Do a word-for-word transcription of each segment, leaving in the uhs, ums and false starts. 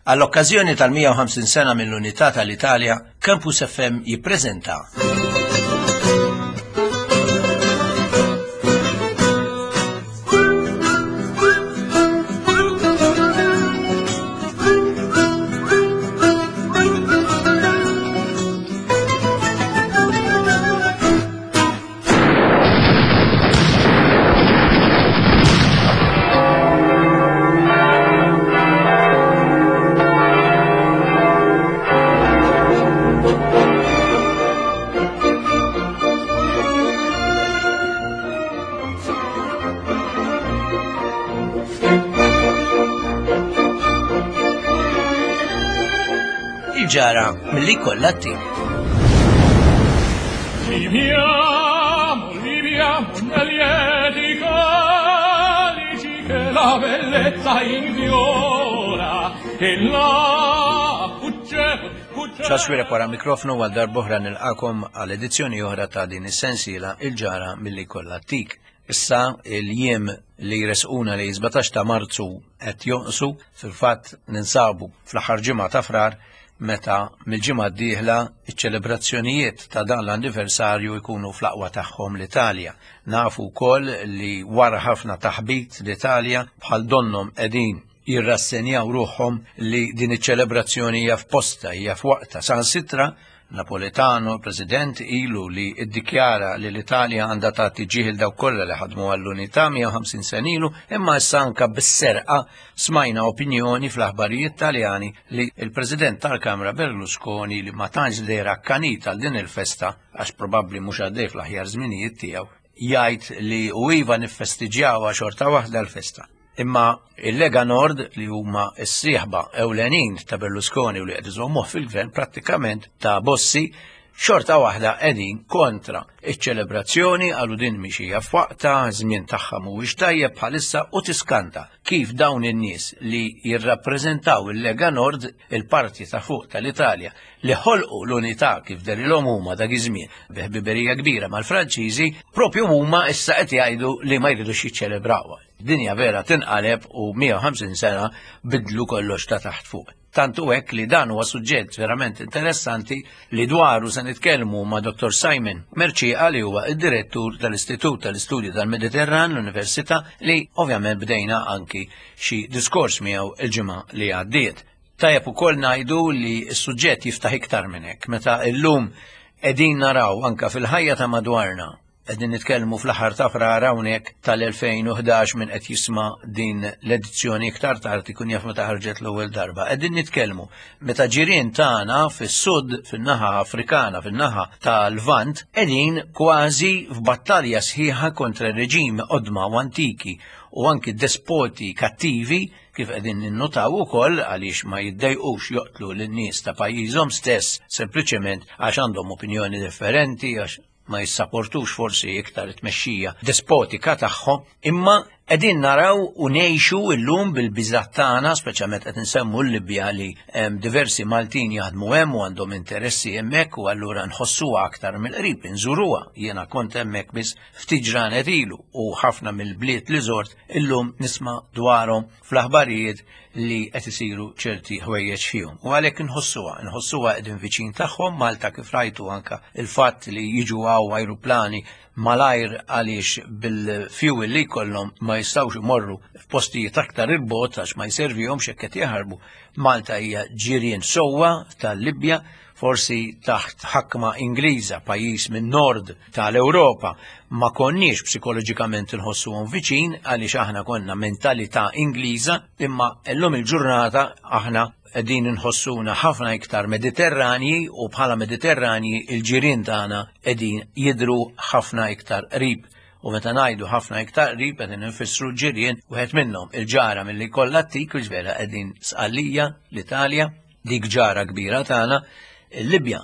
Għall-okkażjoni tal-mija u ħamsin sena mill-Unità tal-Italja, Campus F M jippreżenta Il-ġara milli kollha t-tim. Viviamo, viviamo nel lieti calici che la bellezza infiora e la fuggevol, fuggevol. Charles Xuereb wara mikrofonu għal darb'oħra nilqakom għal edizzjoni oħra ta' din is-sensiela Il-ġara milli kollha t-tik. Issa il-jiem li jresquna li sbatax ta' Marzu qed jonqsu, fil-fatt ninsabu fl-aħħar ġimgħa ta' Frar meta mill-ġimgħa d-dieħla iċ-ċelebrazzjonijiet ta' dan l-anniversarju jkunu fl-aqwa tagħhom l-Italja. Nafu wkoll li wara ħafna taħbit l-Italja bħal donnhom qegħdin jirrassenjaw ruħhom li din iċ-ċelebrazzjoni hija f'posta, hija f'waqta. Saħansitra Napolitano, President, ilu li iddikjara li l-Italja għandha tagħti ġieħ il dawk kollha li ħadmu għall-unità mija u ħamsin sena ilu, imma issa anke bis-serqa smajna opinjoni fl-aħbarijiet Taljani li l-President tal-Kamra Berlusconi, li ma tantx deher akkanit għal din il-festa għax probabbli mhux għaddej fl-aħjar żminijiet tiegħu, jgħid li u iva niffestiġjawha xorta waħda l-festa. Imma il-Lega Nord, li huma s-sieħba ewlenin ta' Berlusconi u li qed iżommuh fil-gvern prattikament ta' Bossi, xorta waħda qegħdin kontra iċ-ċelebrazzjoni, qalu din mhix hija f'waqta, żmien tagħha mhuwiex tajjeb bħalissa, u tiskanta kif dawn in-nies li jirrappreżentaw il-Lega Nord, il-parti ta' fuq tal-Italja, li ħolqu l-unità kif derilhom huma dak iż-żmien bi ħbiberija kbira mal-Franċiżi, propju huma issa qed jgħidu li ma jridux jiċċelebrawha. Dinja vera tinqaleb u mija u ħamsin sena bidlu kollox ta' taħt fuq. Tant hu hekk li dan huwa suġġett verament interessanti li dwaru se nitkellmu ma' Dottor Simon Mercieca, li huwa id-direttur tal-Istitut tal-Istudji tal-Mediterran l-Università, li ovvjament bdejna anki xi diskors miegħu il-ġimgħa li għaddiet. Tajjeb ukoll ngħidu li s-suġġett jiftaħ iktar minn hekk, meta llum qegħdin naraw anka fil-ħajja ta' madwarna. Qegħdin nitkellmu fl-aħħar ta' Frar hawnhekk tal-elfejn u ħdax, minn qed jisma' din l-edizzjoni iktar tard ikun jaf meta ħarġet l-ewwel darba. Qegħdin nitkellmu meta ġirien tagħna fis-sud, fin-naħa Afrikana, fin-naħa tal-Lvant, qegħdin kważi f'battalja sħiħa kontra reġimi qodma u antiki u anki despoti kattivi, kif qegħdin ninnotaw ukoll għaliex ma jiddejqux joqtlu lin-nies ta' pajjiżhom stess sempliċement għax għandhom opinjoni differenti, għax ma jissaportux forsi iktar it-tmexxija despotika tagħhom, imma qegħdin naraw u ngħixu llum bil-biżgħat tagħna, speċjalment qed insemmu l-Libja li hemm diversi Maltin jaħdmu hemm u għandhom interessi hemmhekk, u allura nħossuha aktar mill-qrib, inżuruha. Jiena kont hemmhekk biss ftit ġranet ilu u ħafna mill-bliet li żort illum nisma' dwarhom fl-aħbarijiet li qed isiru ċerti ħwejjeġ fihom. U għalhekk inħossuha, inħossuha qegħdin viċin tagħhom. Malta kif rajtu anka il-fatt li jiġu hawn ajruplani malajr għaliex bil-fuel li jkollhom ma jistgħux imorru f'postijiet aktar il-bogħod għax ma jservihomx hekk qed jaħarbu. Malta hija ġirien sewwa tal-Libja, forsi taħt ħakma Ingliża, pajjiż minn nord tal-Ewropa, ma konniex psikoloġikament inħossuhom viċin għaliex aħna konna mentalità Ingliża, imma llum il-ġurnata aħna qegħdin inħossuna ħafna iktar Mediterranji, u bħala Mediterranji il-ġirien tagħna qegħdin jidhru ħafna iktar qrib. U meta ngħidu ħafna iktar qrib qegħdin infissru ġirien wieħed minnhom il-ġara milli kollha t-tik, u ġvera qegħdin Sqallija, l-Italja, dik ġara kbira tagħna, il-Libja,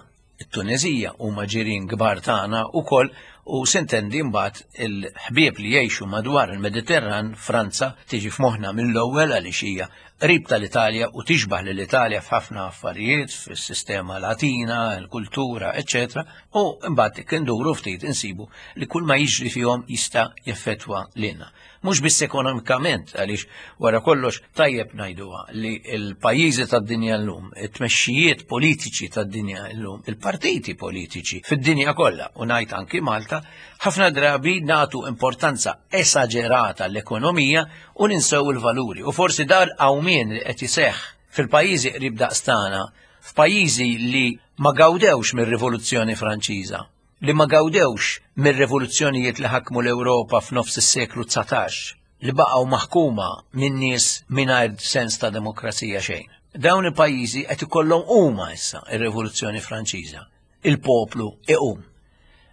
it-Tunezija huma ġirien kbar tagħna wkoll, u sintendi mbagħad il-ħbieb li jgħixu madwar il-Mediterran, Franza tiġi f'moħħna mill-ewwel għaliex hija qrib tal-Italja u tixbaħ lill-Italja f'ħafna affarijiet, fis-sistema Latina, il-kultura, eċċetera. U mbagħad induru ftit insibu li kull ma jiġri fihom jista' jeffettwa lilna. Mhux biss ekonomikament, għaliex wara kollox tajjeb ngħiduha li l-pajjiżi tad-dinja llum, it-tmexxijiet politiċi tad-dinja llum, il-partiti politiċi fid-dinja kollha, u ngħid anki Malta, ħafna drabi nagħtu importanza esaġerata l-ekonomija u ninsew il-valuri. U forsi dar qawmien li qed iseħħ fil-pajjiżi qrib daqstana, f'pajjiżi li ma gawdewx mir-Rivoluzzjoni Franċiża, li ma gawdewx mir-rivoluzzjonijiet li ħakmu l-Ewropa f'nofs is-seklu dsatax, li baqgħu maħkuma minn nies mingħajr sens ta' demokrazija xejn. Dawn il-pajjiżi qed ikollhom huma issa ir-Rivoluzzjoni Franċiża. Il-poplu iqum.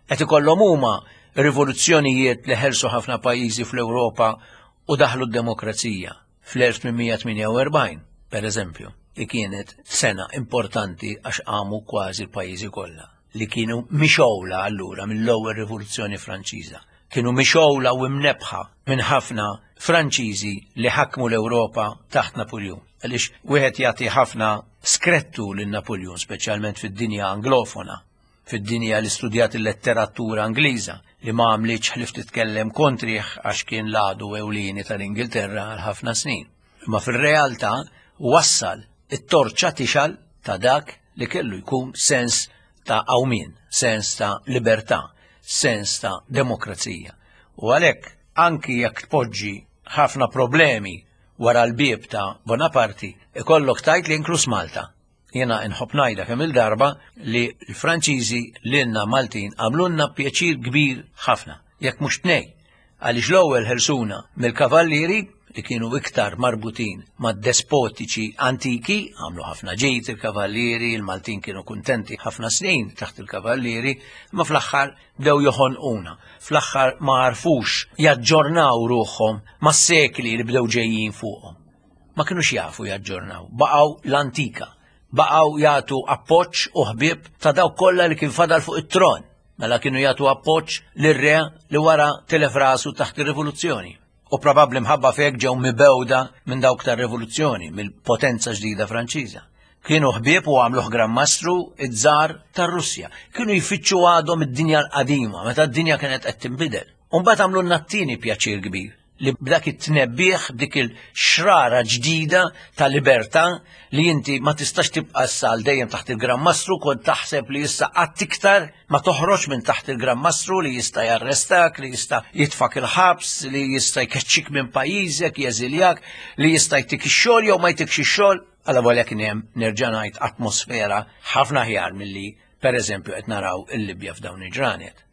Qed ikollhom huma rivoluzzjonijiet li ħelsu ħafna pajjiżi fl-Ewropa u daħlu d-demokrazija fl-elf tmien mija tmienja u erbgħin, per eżempju, li kienet sena importanti għax qamu kważi l-pajjiżi kollha li kienu mixgħula allura mill-ewwel Rivoluzzjoni Franċiża. Kienu mixgħula u mnebħa minn ħafna Franċiżi li ħakmu l-Ewropa taħt Napoleon. Għaliex wieħed jagħti ħafna skrettu lil Napoleon, speċjalment fid-dinja anglofona, fid-dinja li studjat il-letteratura Ingliża, li ma għamlitx ħlief titkellem kontrih għax kien l-għadu ewlieni tal-Ingilterra għal ħafna snin. Imma fir-realtà wassal it-torċa tixgħel ta' dak li kellu jkun sens ta' qawmien, sens ta' libertà, sens ta' demokrazija. U għalhekk anki jekk tpoġġi ħafna problemi wara l-bieb ta' Bonaparte, ikollok tajt li inklus Malta. Jena nħobb ngħidha kemm il-darba li l-Franċiżi lilna Maltin għamlulna pjaċir kbir ħafna, jekk mhux tnej, għaliex l-ewwel ħelsuna mill-kavallieri li kienu iktar marbutin ma' despotiċi antiki, għamlu ħafna ġid il-kavallieri, il-Maltin kienu kuntenti ħafna snin taħt il-kavallieri, ma fl-aħħar bdew joħonquna, fl-aħħar ma għarfux jaġġornaw ruħhom ma' sekli li bdew ġejjin fuqhom. Ma kinux jafu jaġġornaw, baqgħu l-antika, baqgħu jagħtu appoġġ u ħbieb ta' dawk kollha li kien fadal fuq it-tron, mela kienu jagħtu appoġġ lir-re li wara tilef rasu taħt ir-rivoluzzjoni. U probabbli mħabba fek ġew mibewda minn dawk tar-rivoluzzjoni, mill-potenza ġdida Franċiża. Kienu ħbieb u għamluh Gran Mastru iż-żar tar-Russja. Kienu jfittxu għadhom id-dinja l-qadima, meta d-dinja kienet qed tinbidel. U mbagħad għamlu t-tieni pjaċir kbir, li b'dak it-tnebbieħ, b'dik il-xrara ġdida ta' libertà li inti ma tistax tibqa' issa għal dejjem taħt il-Gran Mastru, kont taħseb li issa qatt iktar ma toħroġ minn taħt il-Gran Mastru li jista' jarrestak, li jista' jitfak il-ħabs, li jista' jkeċċik minn pajjiżek, jeżiljak, li jista' jtik ix-xogħol jew ma jtikx ix-xogħol. Alla volja kien hemm, nerġa' ngħid, atmosfera ħafna aħjar milli pereżempju qed naraw il-Libja f'dawn il-ġranet.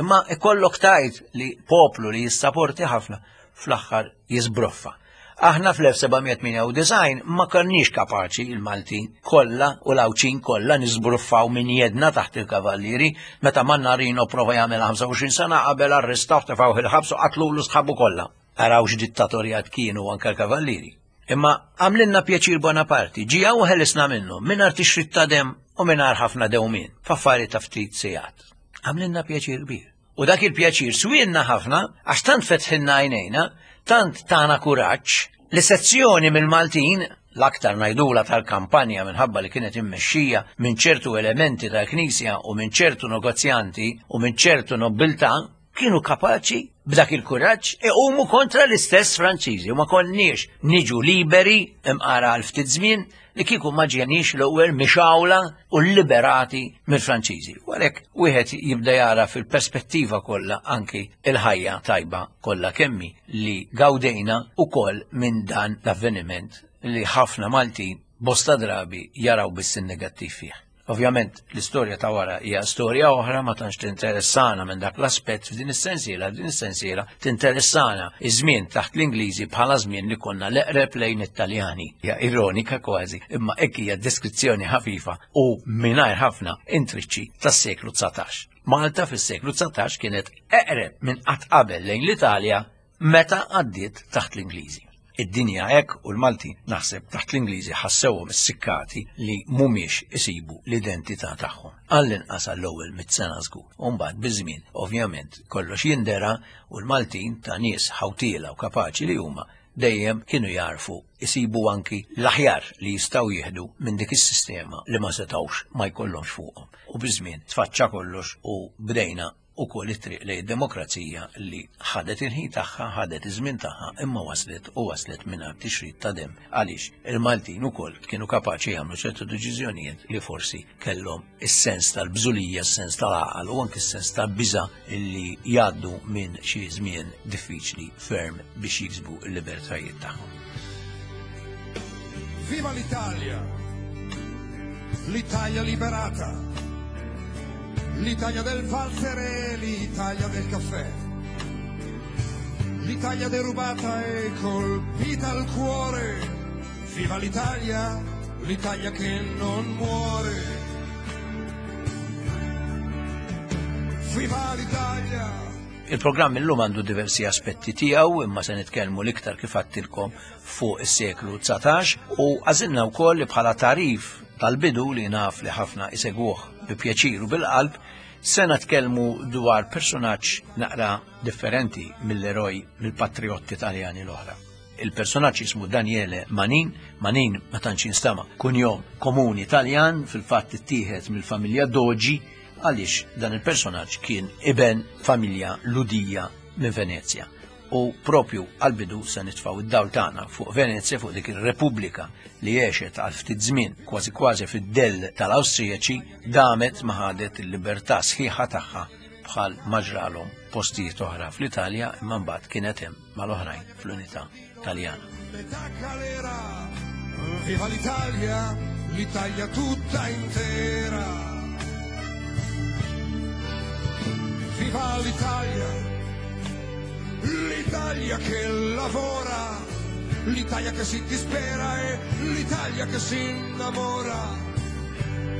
Imma ikollok tajt li poplu li jissaporti ħafna fl-aħħar jisbroffa. Aħna fl-elf seba' mija tmienja u disgħin ma konniex kapaċi il-Maltin kollha u l-Għawdxin kollha nisbruffaw minn jedna taħt il-kavallieri meta Mannarino prova jagħmel ħamsa u għoxrin sena qabel arrestaw tefgħuh il-ħabs u qatlulu sħabu kollha. Araw x'dittatorjat kienu anke l-kavallieri. Imma għamlilna pjaċir Bonaparte, ġie u ħelisna minnu, mingħajr tixrid ta' dem u mingħajr ħafna dewmien, f'affarijiet ta' ftit sigħat. Għamlilna pjaċir kbir. U dak il-pjaċir swinna ħafna, għax tant fetħilna għajnejna, tant tana kuraġġ, li sezzjoni mill-Maltin, l-aktar ngħidula tal-kampanja minħabba li kienet immexxija minn ċertu elementi tal-Knisja u minn ċertu negozjanti u minn ċertu nobiltà, kienu kapaċi b'dak il-kuraġġ iqumu kontra l-istess Franċiżi u ma konniex niġu liberi imqara għal ftit żmien li kieku ma ġenix l-ewwel mixawla u liberati mill-Franċiżi. U għalhekk wieħed jibda jara fil-perspettiva kollha anki il-ħajja tajba kollha kemmi li gawdejna ukoll minn dan l-avveniment li ħafna Maltin bosta drabi jaraw biss in-negattiv fih. Ovvjament, l-istorja ta' wara hija storja oħra ma tantx tinteressana minn dak l-aspett f'din is-sensiela, f'din is-sensiela tinteressana iż-żmien taħt l-Ingliżi bħala żmien li konna l-eqreb lejn it-Taljani. Hija ironika kważi, imma hekk hija deskrizzjoni ħafifa u mingħajr ħafna intriċċi tas-seklu dsatax. Malta fis-seklu dsatax kienet eqreb minn qatt qabel lejn l-Italja meta għaddiet taħt l-Ingliżi. Id-dinja hekk u l-Malti naħseb taħt l-Ingliżi ħassewhom is-sikkati li mhumiex isibu l-identità tagħhom. Għall-inqas għall-ewwel mitt sena żgur. U mbagħad biż-żmien ovvjament kollox jindera u l-Maltin ta' nies ħawtiela u kapaċi li huma dejjem kienu jarfu isibu anki l-aħjar li jistgħu jieħdu minn dik is-sistema li ma setgħux ma jkollhomx fuqhom. U biż-żmien tfaċċa kollox u bdejna ukoll it-triq lejn demokrazija li ħadet il-ħin tagħha, ħadet iż-żmien tagħha, imma waslet u waslet mingħajr tixrid ta' demm għaliex il-Maltin ukoll kienu kapaċi jagħmlu ċertu deċiżjonijiet li forsi kellhom is-sens tal-bżulija, is-sens tal-għaqal u anke s-sens tal-biża' li jgħaddu minn xi żmien diffiċli ferm biex jiksbu l-libertajiet tagħhom. Viva l'Italia! L'Italia liberata! L'Italia del valzer e l'Italia del caffè. L'Italia derubata e colpita al cuore. Viva l'Italia, l'Italia che non muore. Viva l'Italia! Il-programm illum għandu diversi aspetti tiegħu, imma se nitkellmu l-iktar kif għedtilkom fuq is-seklu dsatax u għażilna wkoll li bħala tarif tal-bidu li naf li ħafna isegwuh bi pjaċir u bil-qalb, se nitkellmu dwar personaġġ naqra differenti mill-eroj mill-patriotti Taljani l-oħra. Il-personaġġ jismu Daniele Manin. Manin ma tantx jinstama' kunjom komuni Taljan, fil-fatt ittieħed mill-familja Dogi għaliex dan il-personaġġ kien iben familja Ludija minn Venezja. U propju għal-bidu se nitfgħu id-dawl tagħna fuq Venezja, fuq dik ir-Repubblika li għexet għal ftit żmien kważi kważi fid-dell tal-Awstrijaċi, damet ma ħadet il-libertà sħiħa tagħha bħal ma ġralhom postijiet oħra fl-Italja, imma mbagħad kienet hemm mal-oħrajn fl-Unità Taljana. Metà galera, viva l'Italia, l'Italia tutta intera. Viva l'Italia, l'Italia che lavora, l'Italia che si dispera e l'Italia che si innamora.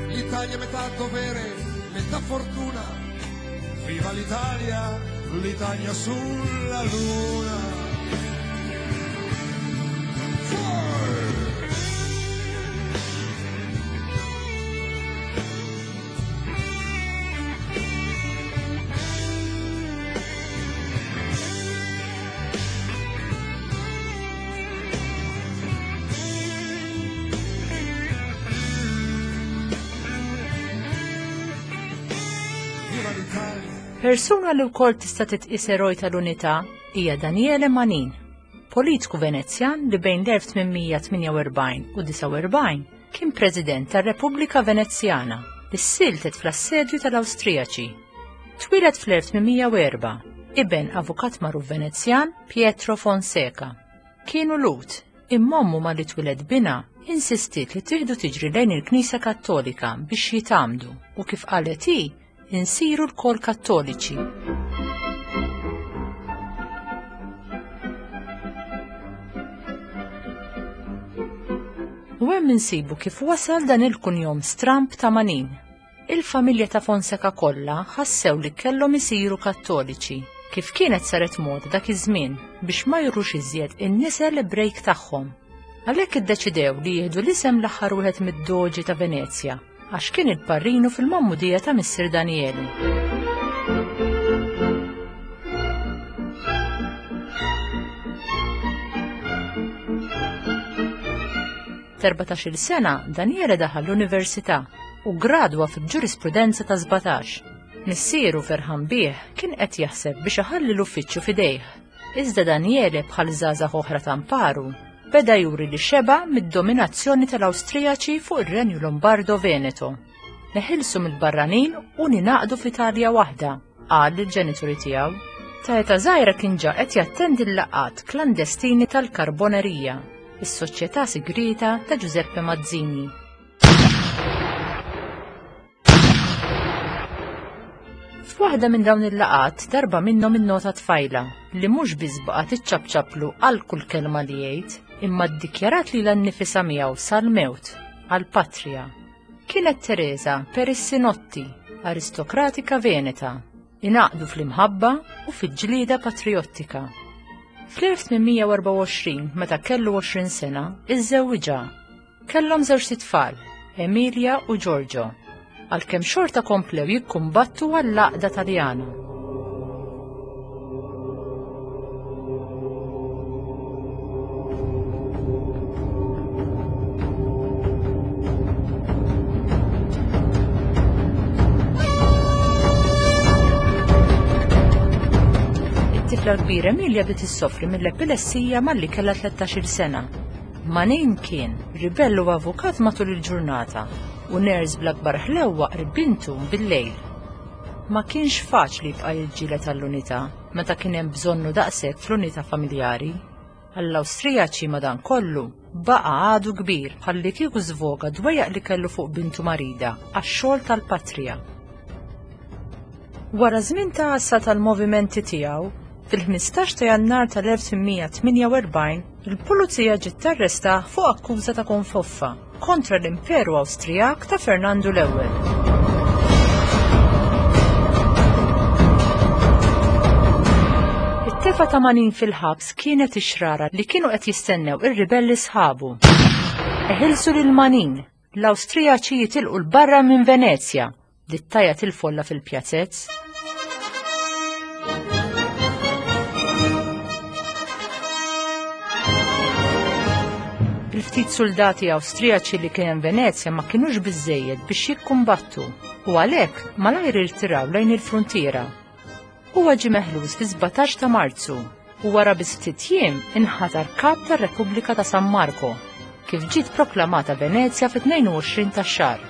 L'Italia metà dovere, metà fortuna. Viva l'Italia, l'Italia sulla luna. Fuori! Persuna li wkoll tista' titqis eroj tal-unità hija Daniele Manin, politiku Venezjan li bejn l-elf tmien mija tmienja u erbgħin u disgħa u erbgħin kien President tar-Repubblika Venezjana li ssiltet fl-assedju tal-Awstrijaċi. Twieled fl-elf tmien mija u erbgħa, iben avukat magħruf Venezjan Pietro Fonseca. Kienu Lhud, imma ommu malli twieled binha insistiet li tieħdu tiġri lejn il-Knisja Kattolika biex jitgħammdu u kif qalet hi, insiru lkoll kattoliċi. U hemm insibu kif wasal dan il-kunjom stramb ta' Manin. Il-familja ta' Fonseca kollha ħassew li kellhom isiru kattoliċi, kif kienet saret mod dak iż-żmien biex ma jurux iżjed in-nisel Ebrejk tagħhom. Għalhekk iddeċidew li jieħdu l-isem l-aħħar wieħed mid-doġi ta' Venezja, għax kien il-parrinu fil-mammudija ta' Missier Daniele. T'erbatax-il sena Daniele daħal l-università u gradwa fil-ġurisprudenza ta' sbatax. Missieru ferħan bih kien qed jaħseb biex iħalli l-uffiċċju f'idejh. Iżda Daniele bħal żgħażagħ oħra ta' mparu beda juri li xeba mid-dominazzjoni tal-Awstrijaċi fuq ir-Renju Lombardo Veneto. Neħilsu mill-barranin u ninaqdu f'Italja waħda, qal lill-ġenituri tiegħu. Ta' età żgħira kien ġa qed jattendi l-laqgħat klandestini tal-Karbonerija, is-soċjetà sigrieta ta' Giuseppe Mazzini. F'waħda minn dawn il-laqgħat darba minnhom innota tfajla li mhux biss baqgħet iċċapċaplu għal kull kelma li jgħid, imma ddikjarat lilha nnifisha miegħu sal-mewt għall-patrija. Kienet Teresa Perissinotti, aristokratika Veneta, ingħaqdu fl-imħabba u fil-ġlieda patriottika. Fl-elf tmien mija u erbgħa u għoxrin, meta kellu għoxrin sena, iżżewwiġha. Kellhom żewġt itfal, Emilia u Giorgio, għalkemm xorta komplew jikkumbattu għall-għaqda Taljana. It-tifla kbira Emilia bdiet issofri mill-epilessija malli kellha tlettax-il sena. Manin kien ribell u avukat matul il-ġurnata u ners bl-akbar ħlewwa qrib bintu bil-lejl. Ma kienx faċli jibqa' jiġġieled għall-unità meta kien hemm bżonnu daqshekk fl-unità familjari. Għall-Awstrijaċi madankollu baqa' għadu kbir bħalli kieku żvoga dwejjaq li kellu fuq bintu marida għax-xogħol tal-patrija. Wara żmien ta' għassa tal-movimenti tiegħu, fil-ħmistax ta' Jannar tal-elf tmien mija tmienja u erbgħin, il-pulizija ġiet tarrestah fuq akkuża ta' konfoffa kontra l-Imperu Awstrijak ta' Fernandu l-Ewwel. It-tefa ta' Manin fil-ħabs kienet ix-xrara li kienu qed jistennew ir-ribelli sħabu. Eħilsu lil Manin, l-Awstrijaċi jitilqu 'l barra minn Venezja, dittajat il-folla fil-pjazzezz. Il-ftit soldati Awstrijaċi li kien hemm Venezja ma kinux biżżejjed biex jikkumbattu u għalhekk malajr irtiraw lejn il-fruntiera. Huwa ġie meħlus fi sbatax ta' Marzu u wara bi ftit jiem inħatar kap tar-Repubblika ta' San Marco, kif ġiet proklamata Venezja fit-tnejn u għoxrin tax-xahar.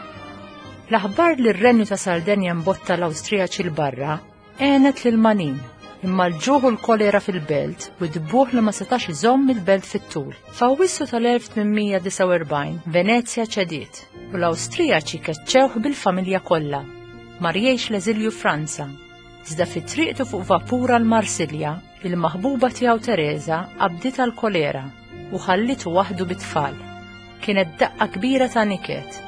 L-aħbar li r-Renju ta' Sardenja mbotta l-Awstrijaċi 'l barra għenet lil Manin, imma l-ġuħ u l-kolera fil-belt u d-buħ li ma setax iżomm il-belt fit-tul. F'Awwissu tal-elf tmien mija disgħa u erbgħin, Venezja ċediet u l-Awstrijaċi keċċewh bil-familja kollha. Mar jgħix l-eżilju Franza. Iżda fi triqtu fuq vapur għal Marsilja, il-maħbuba tiegħu Teresa qabditha l-kolera u ħallitu waħdu bit-tfal. Kienet daqqa kbira ta' niket.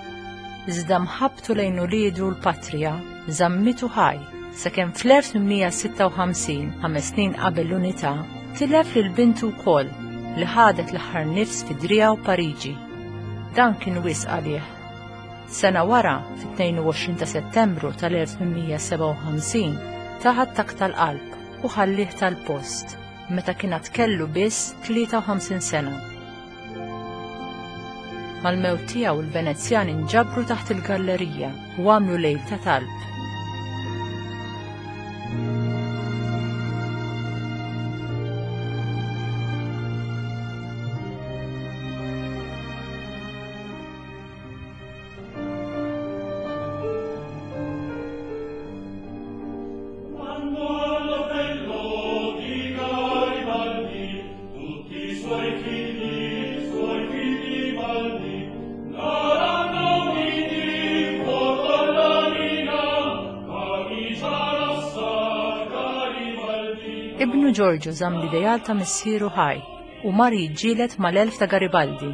Iżda mħabbtu lejn uliedu l-patrija żammitu ħaj sakemm fl-elf tmien mija sitta u ħamsin, ħames snin qabel l-unità, tilef lil bintu wkoll li ħadet l-aħħar nifs fi Driegħa u Pariġi. Dan kien wisq għalih. Sena wara, fit-tnejn u għoxrin ta' Settembru tal-elf tmien mija sebgħa u ħamsin, taħat tak tal-qalb u ħallih tal-post meta kien għad kellu biss tlieta u ħamsin sena. Mal-mewt tiegħu l-Venezjani nġabru taħt il-gallerija u għamlu lejl ta' talb. Ibnu Giorgio żamm l-ideal ta' missieru ħaj u mar jiġġieled mal-elf ta' Garibaldi.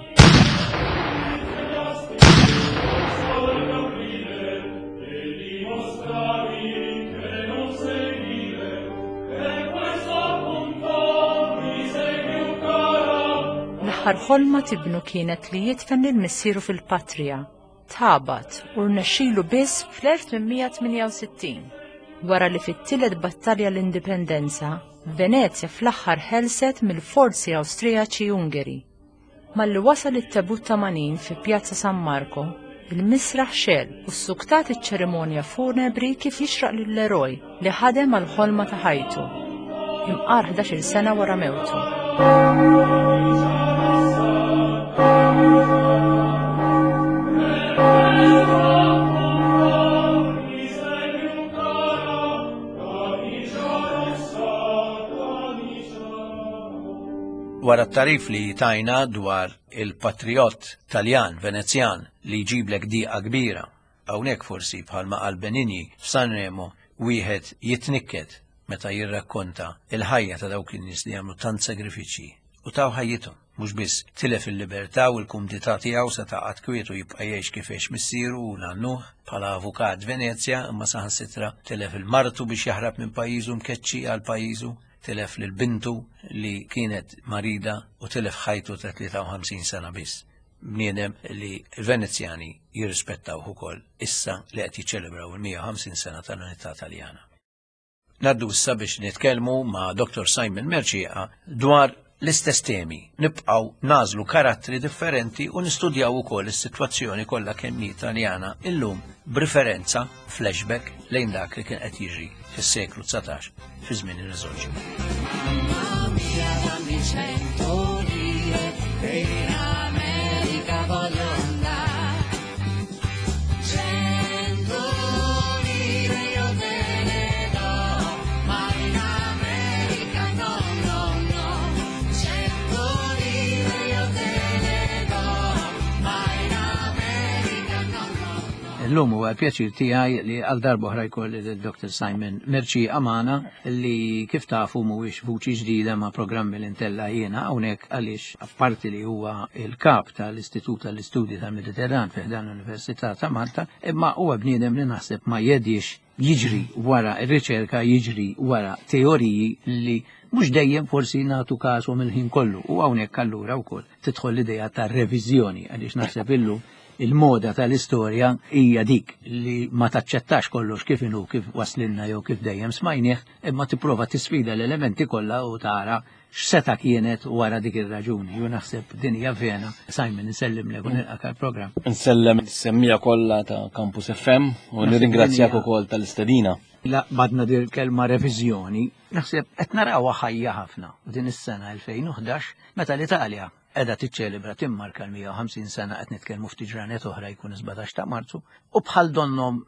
L-aħħar ħolma tibnu kienet li jidfen lil missieru fil-patrija. Tħabat u rnexxielu biss fl-elf tmien mija tmienja u sittin. Wara li fit-tielet battalja l-Indipendenza, Venezja fl-aħħar ħelset mill-forzi Awstrijaċi Ungeri. Malli wasal it-tebut ta' Manin fi Pjazza San Marco, il-misraħ xel u ssuktat iċ-ċerimonja funebri kif jixraq lill-eroj li ħadem għall-ħolma ta' ħajtu. Imqar ħdax-il sena wara mewtu. Wara t-tarif li tajna dwar il-patriot Taljan Venezjan li jġiblek diqa kbira, hawnhekk forsi bħalma qal Benigni f'Sanremo wieħed jitnikket meta jirrakkonta il-ħajja ta' dawk in-nies li jagħmlu tant sagrifiċċji u taw ħajjithom, mhux biss tilef il-libertà u l-kumdità tiegħu se taqgħod kwiet u jibqa' jgħix kif għex missieru u nannuh bħala avukat Venezja, imma saħansitra tilef il-martu biex jaħrab minn pajjiżu mkeċċi għal pajjiżu, tilef lil bintu li kienet marida u tilef ħajtu ta' tlieta u ħamsin sena biss. Bniedem li l-Venezjani jirrispettawh ukoll issa li qed jiċċelebraw il-mija u ħamsin sena tal-Unità Taljana. Naddu issa biex nitkellmu ma' Doktor Simon Mercieca dwar L-istess temi, nibqgħu nagħżlu karattri differenti u nistudjaw ukoll is-sitwazzjoni kollha kemm hi Taljana illum b'riferenza flashback lejn dak li kien qed jiġri fis-seklu dsatax fi żmien ir-Risorġimento. Mamma mia, dammi cento lire, che in America voglio andare. Cento lire io te ne do, ma in America no, no, no. Cento lire io te ne do, ma in America no, no, no. Illum huwa pjaċir tiegħi li għal darba oħra jkolli lil Doctor Simon Mercieca magħna, li kif tafu mhuwiex vuċi ġdida ma' programmi li ntella' jiena hawnhekk, għaliex apparti li huwa il-kap tal-Istitut tal-Istudji tal-Mediterran fi ħdan l-Università ta' Malta, imma huwa bniedem li naħseb ma jedix jiġri wara r-riċerka, jiġri wara teoriji li mhux dejjem forsi nagħtu kashom il-ħin kollu. U hawnhekk allura wkoll tidħol l-idea ta' reviżjoni, għaliex naħseb illum il-moda tal-istorja hija dik li ma taċċettax kollox kif inhu, kif waslinna jew kif dejjem smajnieh, imma tipprova tisfida l-elementi kollha u tara x'seta kienet wara dik ir-raġuni. Ju naħseb din hija vena. Simon, insellimlek u nilqak għall-programm. Insellem is-semmiegħa kollha ta' Campus F M u Naħseb nirringrazzjak din hija ukoll tal-istedina. La badna dir kelma reviżjoni, naħseb qed narawha ħajja ħafna. U din is-sena elfejn u ħdax meta l-Italja qiegħda tiċċelebra, timmarka l-mija u ħamsin sena, qed nitkellmu ftit ġranet oħra jkun sbatax ta' Marzu, u bħal donnom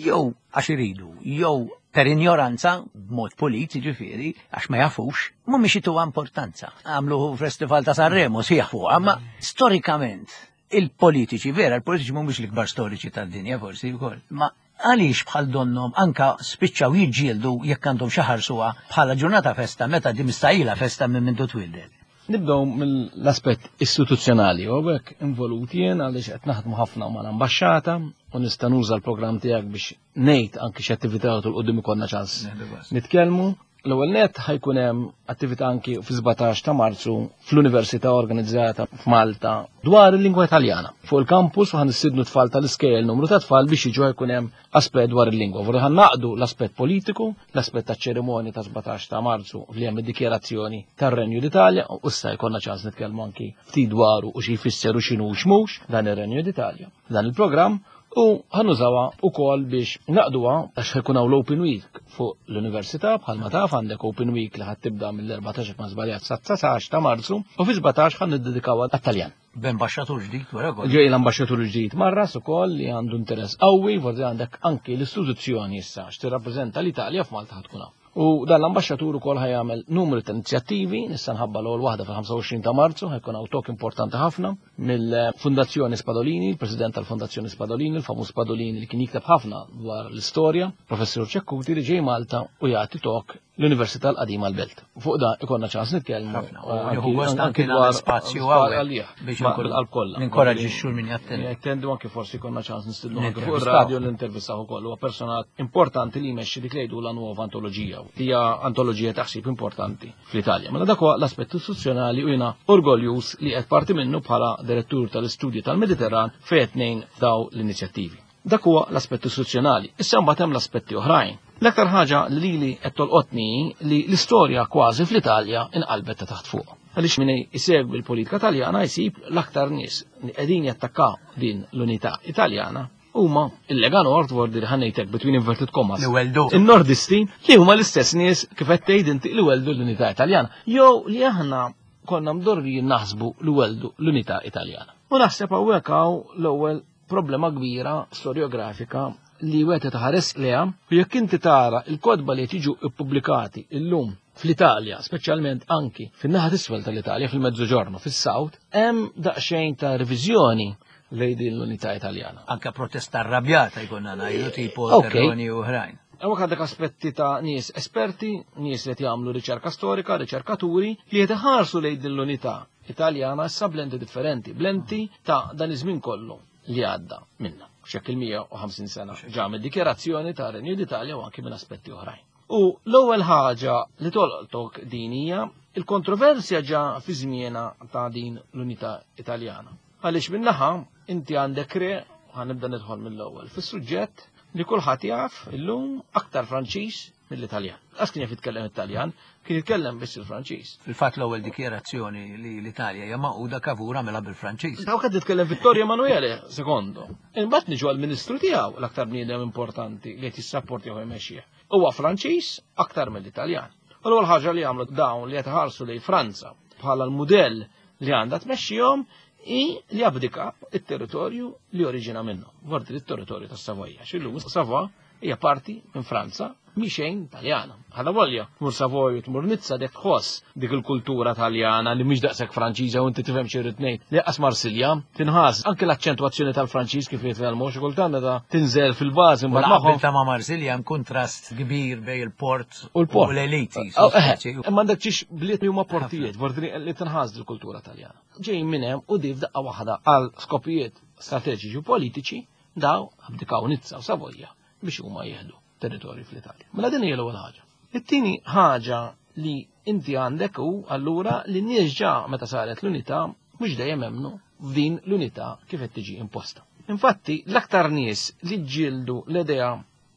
jew għax iridu, jew per ignoranza, b'mod pulit, jiġifieri, għax ma jafux, mhumiex jituha importanza. Għamlu festival ta' Sanremo, sieħ fuqha, ma storikament il-politiċi, vera, il-politiċi mhumiex l-ikbar storiċi tad-dinja forsi wkoll, ma għaliex bħal donnom anka spiċċaw jiġġieldu jekk għandhom xi ħarsuha bħala ġurnata festa meta di mistajila festa minn mindu twildet? Nibdew mill-aspett istituzzjonali, u hekk involuti jien għaliex qed naħdmu ħafna mal-ambaxxata u nista' nuża l-programm tiegħek biex ngħid anki x'attività tul quddiem ikollna ċans nitkellmu. L-ewwel net ħajkun hemm attività anki fi sbatax ta' Marzu fl-Università organizzata f'Malta dwar il-lingwa Italjana. Fuq il-campus u ħanistidnu tfal tal-iskejjel, numru ta' tfal biex jiġu, ħajkun hemm aspett dwar il-lingwa. Vorri ħan naqdu l-aspett politiku, l-aspett ta' ċerimonja ta' sbatax ta' Marzu li hemm id-dikjerazzjoni tar-Renju d'Italja, u issa jkollna ċans nitkellmu anki ftit dwaru u xi jfisser u x'inhu u x'mhux dan ir-Renju d'Italja. Dan il-programm u ħanużawha ukoll biex naqduha għax ħajkun hawn l-Open Week fuq l-Università. Bħalma taf għandek Open Week li ħad tibda mill-erbatax ma żbaljat sa dsatax ta' Marzu u fi sbatax ħan niddedikawha għat-Taljan. B'ambaxxatur ġdid wara kollox. Ġej l-ambaxxatur ġdid Marras ukoll li għandu interess qawwi, forsi għandek anki l-istituzzjoni issa x'tirrappreżenta l-Italja f'Malta ħad tkun hawn. U dan l-ambaxxatur ukoll ħajamel numru ta' inizjattivi, nista' nħabba l-ewwel waħda fil-ħamsa u għoxrin ta' Marzu, ħajkun hawn talk importanti ħafna mill-Fondazzjoni Spadolini, il-President tal-Fondazzjoni Spadolini, il-famuż Spadolini li kien jikteb ħafna dwar l-istorja, Professur Chetcuti, li ġej Malta u jagħti talk l-Università l-Qadima l-Belt. Fuq da ikonna ċans nitkellmu. Ħafna. U eh, nieħu anki- gost anki anki dwar nagħmel spazju dwar hawnhekk għalih. biex Ma inkun bil-qalb kollha. ninkoraġġixxu min jattendi. Jattendu, anki forsi konna ċans nistidnu anki fuq Nintervistaw. ir-radio l-intervistaw ukoll. Huwa personat importanti li jmexxi dik li jgħidu la nuova antoloġija. Hija antoloġija taħsib importanti fl-Italja. Mela dak huwa l-aspett istituzzjonali u jiena orgoljus li qed parti minnu bħala direttur tal-istudji tal-Mediterran fejn tnejn daw l-inizjattivi. Dak huwa l-aspett istituzzjonali. Issa mbagħad hemm l-aspetti oħrajn. L-aktar ħaġa li lili qed tolqotni li l-istorja kważi fl-Italja inqalbet ta' taħt fuq. Għaliex min isegwi l-politika Taljana jsib l-aktar nies li qegħdin jattakkaw din l-unità Italjana huma il-Lega Nord, vordi li ħannejtek between inverted commas. Li weldu. Il-Nordisti li huma l-istess nies kif qed tgħid inti li weldu l-unità Italjana. Jew li aħna konna mdorrijin naħsbu li weldu l-unità Italjana. U naħseb hawnhekk hawn l-ewwel problema kbira storiografika li wieħed taħares leha, u jekk inti tara il-kotba li jiġu ippubblikati illum fl-Italja, speċjalment anki fin-naħa t'isfel tal-Italja, fil-Mezzoġorno, fis-South, hemm daqsxejn ta' reviżjoni lejn din l-unità Italjana. Anka protesta arrabjata jkollna ngħidu, tipo Ok. Terroni u oħrajn. Hawnhekk għandek aspetti ta' nies esperti, nies li jagħmlu riċerka storika, riċerkaturi li qed iħarsu lejn din l-unità Italjana issa b'lenti differenti, b'lenti ta' dan iż-żmien kollu li għadda minna. Xekk il-mija u ħamsin sena ġa mid-dikjerazzjoni ta' Renju d'Italja u anki minn aspetti oħrajn. U l-ewwel ħaġa li tolqtok din hija il-kontroversja ġa fi żmienha ta' din l-unità Italjana. Għaliex minnaħa inti għandek re, ħanibda nidħol mill-ewwel fis-suġġett li kulħadd jaf illum aktar Franċiż mill-Italjan. Għas kien jaf jitkellem Italjan, kien jitkellem biss il-Franċiż. Fil-fatt l-ewwel dikjerazzjoni li l-Italja hija magħquda Cavour għamilha bil-Franċiż. Daw qed jitkellem Vittorio Emanuele secondo. Imbagħad niġu għall-ministru tiegħu l-aktar bniedem importanti li qed jissapporti u jmexxih. Huwa Franċiż aktar mill-Italjan. U l-ewwel ħaġa li għamlu dawn li qed iħarsu lejn Franza bħala l-mudell li għandha tmexxihom i li abdika it-territorju li oriġina minnu. Vorti it-territorju tas-Savoja. X'illum Savoy hija parti minn Franza mi xejn Taljana. Ħada volja, tmur Savoy u tmur Nizza dek tħoss dik il-kultura Taljana li mhix daqshekk Franċiża u inti tifhem xi rrid ngħid. Li qas Marsilja tinħass anke l-aċċentwazzjoni tal-Franċiż kif jitkellmu xi kultant meta tinżel fil-bażi U mbagħad l-qabel magħhom ta' ma' Marsilja hemm kuntrast kbir bej il-port u l-port. u l-eliti. Oh, eh, Imma għandek ċiex bliet li huma portijiet, vorti li tinħass il-kultura Taljana. Ġej minn hemm u di f'daqqa waħda għal skopijiet strateġiċi u politiċi daw abdikaw Nizza u Savoja biex huma jieħdu territorju fl-Italja. Mela din hija l-ewwel ħaġa. It-tieni ħaġa li inti għandek hu allura li n-nies ġa meta saret l-unità mhux dejjem emmnu f'din l-unità kif qed tiġi imposta. Infatti, l-aktar nies li ġġieldu l-idea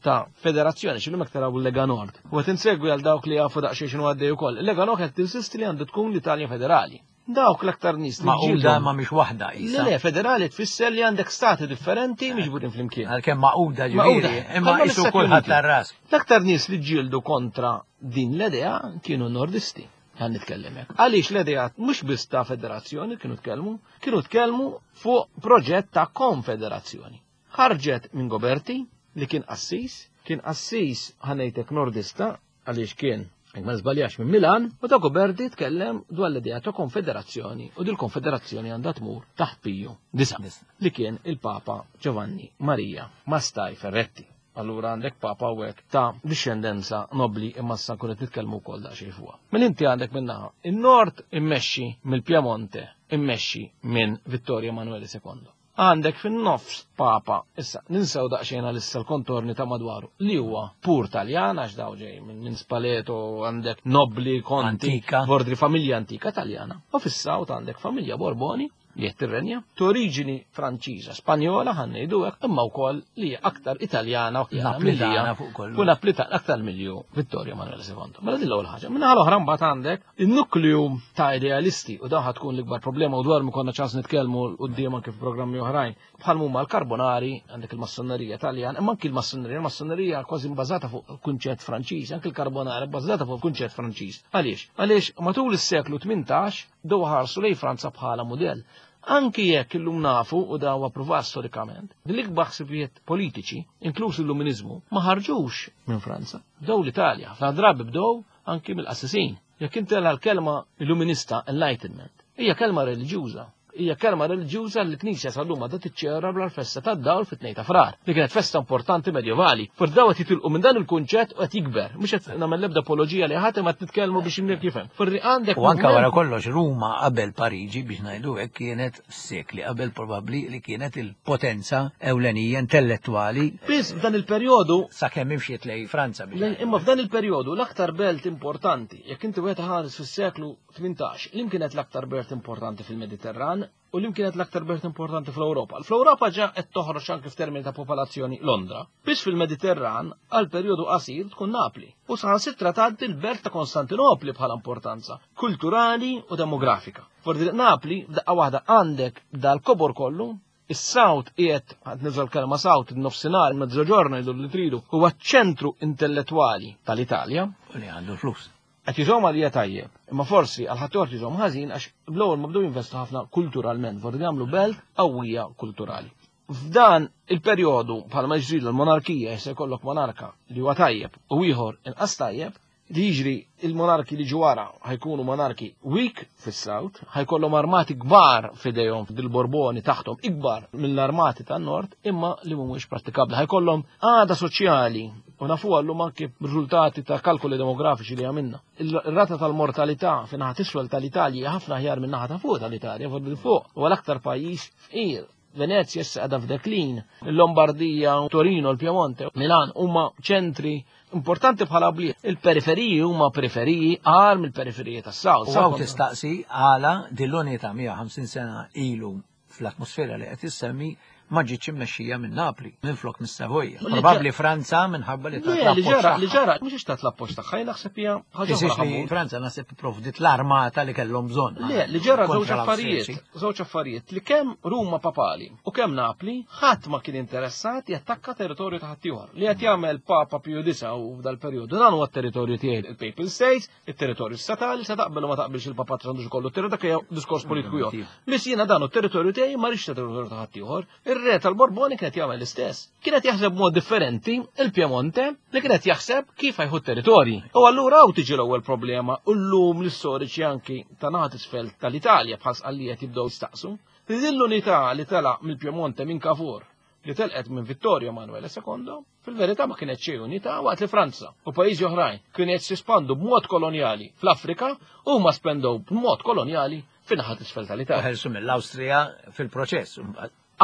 ta' federazzjoni, x'illum hekk taraw il-Lega Nord. U qed insegwi għal dawk li jafu daqsxejn x'inhu għaddej ukoll. Il-Lega Nord qed tinsisti li għandu tkun l-Italja federali. Dawk l-aktar nies li Magħquda ġġieldu. ma mhix waħda Le, isa. le, federali tfisser li għandek stati differenti miġburin flimkien. Għalkemm magħquda Magħquda. ġifieri, imma Bħalma isu l-Istati kulħadd Uniti. tar-ras. L-aktar nies li ġġieldu kontra din l-idea kienu nordisti. Għan nitkellem hekk. Għaliex l-idea mhux biss ta' federazzjoni kienu tkellmu, kienu tkellmu fuq proġett ta' konfederazzjoni. Ħarġet minn Goberti li kien qassis, kien qassis ħanejtek nordista għaliex kien jekk ma żbaljax minn Milan, u ta' Goberti tkellem dwar l-idea ta' konfederazzjoni u dil konfederazzjoni għandha tmur taħt Piju Disa li kien il-Papa Giovanni Maria Mastai Ferretti. Allura għandek papa u hekk ta' discendenza nobli imma sa nkun qed nitkellmu wkoll daqsxejn fuqha. Mela inti għandek minnaħa in-Nord immexxi mill-Piemonte, immexxi minn Vittorio Emanuele secondo. Għandek fin-nofs papa, issa ninsew daqsxejn għalissa l-kontorni ta' madwaru, li huwa pur Taljan għax daw ġej minn minn Spaleto għandek nobli, konti, Antika. bordri familja antika Taljana. U fis-South għandek familja Borboni li qed tirrenja, t'oriġini Franċiża, Spanjola ħa ngħidu hekk, imma wkoll li hija aktar Italjana u Naplitana fuq kollox. U Naplitana aktar milju Vittorio Emanuele secondo. Mela din l-ewwel ħaġa. Minnaħa l-oħra mbagħad għandek in-nukleu ta' idealisti u dawn ħa tkun l-ikbar problema u dwar mi konna ċans nitkellmu quddiem anke f'programmi oħrajn. Bħal huma l-Karbonari, għandek il-Massonerija Taljan, imma anki l-Massonerija, il-Massonerija kważi bbażata fuq kunċett Franċiż, anki l-Karbonari bbażata fuq kunċett Franċiż. Għaliex? Għaliex matul is-seklu tmintax daw ħarsu lejn Franza bħala mudell. Anki jekk illum nafu u daw approvat storikament, l-ikbar ħsibijiet politiċi, inkluż l-Illuminizmu, ma ħarġux minn Franza. Bdew l-Italja, ħafna drabi bdew anki mill-qassisin. Jekk inti l-kelma Illuminista, Enlightenment, hija kelma reliġjuża. Hija kelma reliġjuża li l-Knisja sal-lum għadha tiċċelebra l-festa tad-dawl fit-tnejn ta' Frar, li kienet festa importanti medjevali. For daw qed jitilqu minn dan il-kunċett u qed jikber. Mhux qed nagħmel l-ebda apoloġija li ħadd imma qed nitkellmu biex inniek jifhem. Forri għandek U anka moviment- wara kollox Ruma qabel Pariġi biex ngħidu hekk kienet sekli qabel probabbli li kienet il-potenza ewlenija intellettwali Biss f'dan il-perjodu sakemm imxiet lej Franza biex Le- ngħidu. Imma f'dan il-perjodu l-aktar belt importanti, jekk inti wieħed ħares fis-seklu tmintax, li kienet l-aktar belt importanti fil-Mediterran u li kienet l-aktar belt importanti fl-Ewropa. Fl-Ewropa ġa qed toħroġ anke f'termini ta' popolazzjoni Londra. Biss fil-Mediterran għal perjodu qasir tkun Napli. U saħansitra tgħaddi l-belt ta' Konstantinopli bħala importanza kulturali u demografika. Fordi Napli f'daqqa waħda għandek dal-kobor kollu, is-South qiegħed ħadd niżol kelma South, in-nofsinhar, mezzoġorno jgħidu li tridu, huwa ċ-ċentru intellettwali tal-Italja. U li għandu flus. Qed jiżhom għalija tajjeb, imma forsi għal ħadd jiżhom ħażin għax bl-ewwel ma bdew jinvestu ħafna kulturalment, forsi jagħmlu belt qawwija kulturali. F'dan il-perjodu bħalma ġri l-monarkija jista' jkollok monarka li huwa tajjeb u ieħor inqas tajjeb, li jiġri il-monarki li ġwara ħajkunu monarki weak fis-South, ħajkollhom armati kbar f'idejhom dil-Borboni taħtom ikbar mill-armati tan-Nord, imma li mhumiex prattikabbli. Ħajkollhom għada soċjali u nafu għallum anke riżultati ta' kalkoli demografiċi li għamilna. Il-rata tal-mortalità fin-naħa t'isfel tal-Italja hija ħafna aħjar minn naħa ta' fuq tal-Italja, fuq fuq huwa l-aktar pajjiż fqir. Venezia issa qiegħda f'deklin, il-Lombardija, Torino, il-Piemonte, Milan huma ċentri importanti bħala bliet. Il-periferiji huma periferiji għar mill-periferiji tas-South. U għaw tistaqsi għala dil-unità mija u ħamsin sena ilu fl-atmosfera li qed issemmi ma ġietx immexxija minn Napli, minflok mis-Savoja. Probabbli Franza minħabba li tat l-appoġġ. Li ġara, li ġara, mhux tat l-appoġġ tagħha, naħseb hija ħaġa li Franza naħseb ipprovdiet l-armata li kellhom bżonn. Le, li ġara żewġ affarijiet, żewġ affarijiet li kemm Ruma Papali u kemm Napli ħadd ma kien interessat jattakka territorju ta' ħaddieħor. Li qed jagħmel Papa Pio disa u f'dal-perjodu dan huwa t-territorju tiegħi il-Papal States, it-territorju statali, se taqbel u ma taqbilx il-Papa għandu kollu territorju dak hija diskors politiku ieħor. Biss jiena dan territorju tiegħi ma rridx territorju ta' ħaddieħor. Ir-re tal-Borboni kienet jagħmel l-istess. Kienet jaħseb b'mod differenti il-Piemonte li kienet jaħseb kif ħajħu territorji. U allura hawn tiġi l-ewwel problema u llum l-istoriċi anki ta' naħat isfel tal-Italja bħal Sqallijiet jibdew jistaqsu. Li din l-unità li telaq mill-Piemonte minn Cavour li telqet minn Vittorio Emanuele secondo, fil-verità ma kienet xejn unità waqt li Franza u pajjiżi oħrajn kienu qed jispandu b'mod kolonjali fl-Afrika u ma spendew b'mod kolonjali fin-naħa t'isfel tal-Italja. Ħelsu mill-Awstrija fil-proċess.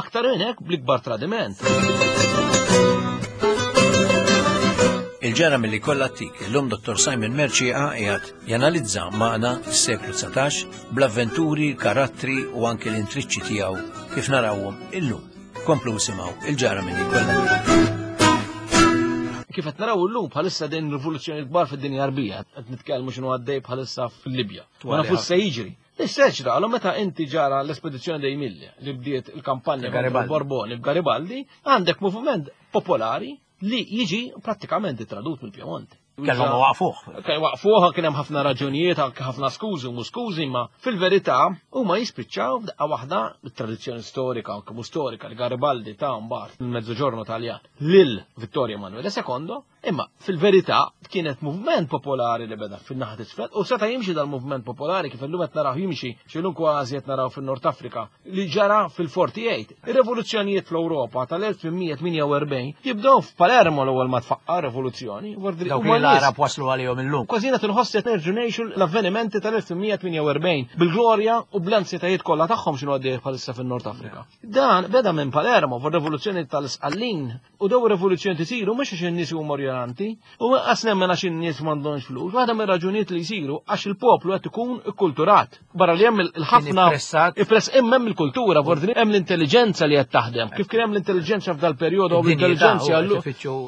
Aktar minn hekk bl-ikbar tradiment. Il-ġara milli kollha tik, illum Dottor Simon Mercieca qiegħed janalizza magħna s-seklu dsatax bl-avventuri, karattri u anke l-intriċċi tiegħu kif narawhom illum. Komplu simgħu il-ġara milli kollha. Kif qed naraw illum bħalissa din rivoluzzjoni kbar fid-dinja Arbija, qed nitkellmu x'inhu għaddej bħalissa fil-Libja. Ma nafux se jiġri. Issa ġralu meta inti ġara l-espedizzjoni dei Mille li bdiet il-kampanja Borboni b'Garibaldi, għandek moviment popolari li jiġi prattikament tradut mill-Piemonte. Kellhom waqfuh. Kien waqfuh, kien hemm ħafna raġunijiet, anke ħafna skużi u skużi, ma fil-verità huma jispiċċaw f'daqqa waħda bit-tradizzjoni storika anke mhux storika li Garibaldi ta' mbagħad il-Mezzoġorno Taljan lil Vittorio Emanuele secondo, imma fil-verità kienet moviment popolari li beda fin-naħa t'isfel u seta' jimxi dal-moviment popolari kif illum qed naraw jimxi x'illum kważi qed naraw fin-Nord Afrika li ġara fil-forty-eight. Ir-rivoluzzjonijiet fl-Ewropa tal-elf tmien mija u erbgħin jibdew f'Palermo l-ewwel ma tfaqqa rivoluzzjoni. Dawk li l-Arab waslu għalihom illum. Kważi qed inħoss qed nerġgħu ngħixu l-avvenimenti tal-elf tmien mija tmien u erbgħin bil-glorja u bl-ansjetajiet kollha tagħhom x'inhu għaddej bħalissa fin-Nord Afrika. Dan beda minn Palermo fir-rivoluzzjoni tal-Isqallin u daw ir-rivoluzzjoni tisiru mhux għax in-nies huma ignoranti u qas nemmen għax in-nies m'għandhomx flus. Waħda mir-raġunijiet li jsiru għax il-poplu qed ikun ikkulturat. Barra li hemm il-ħafna ippress hemm il-kultura, vordini hemm l-intelligenza li qed taħdem. Kif kien hemm l-intelligenza f'dal-perjodu u l-intelligenza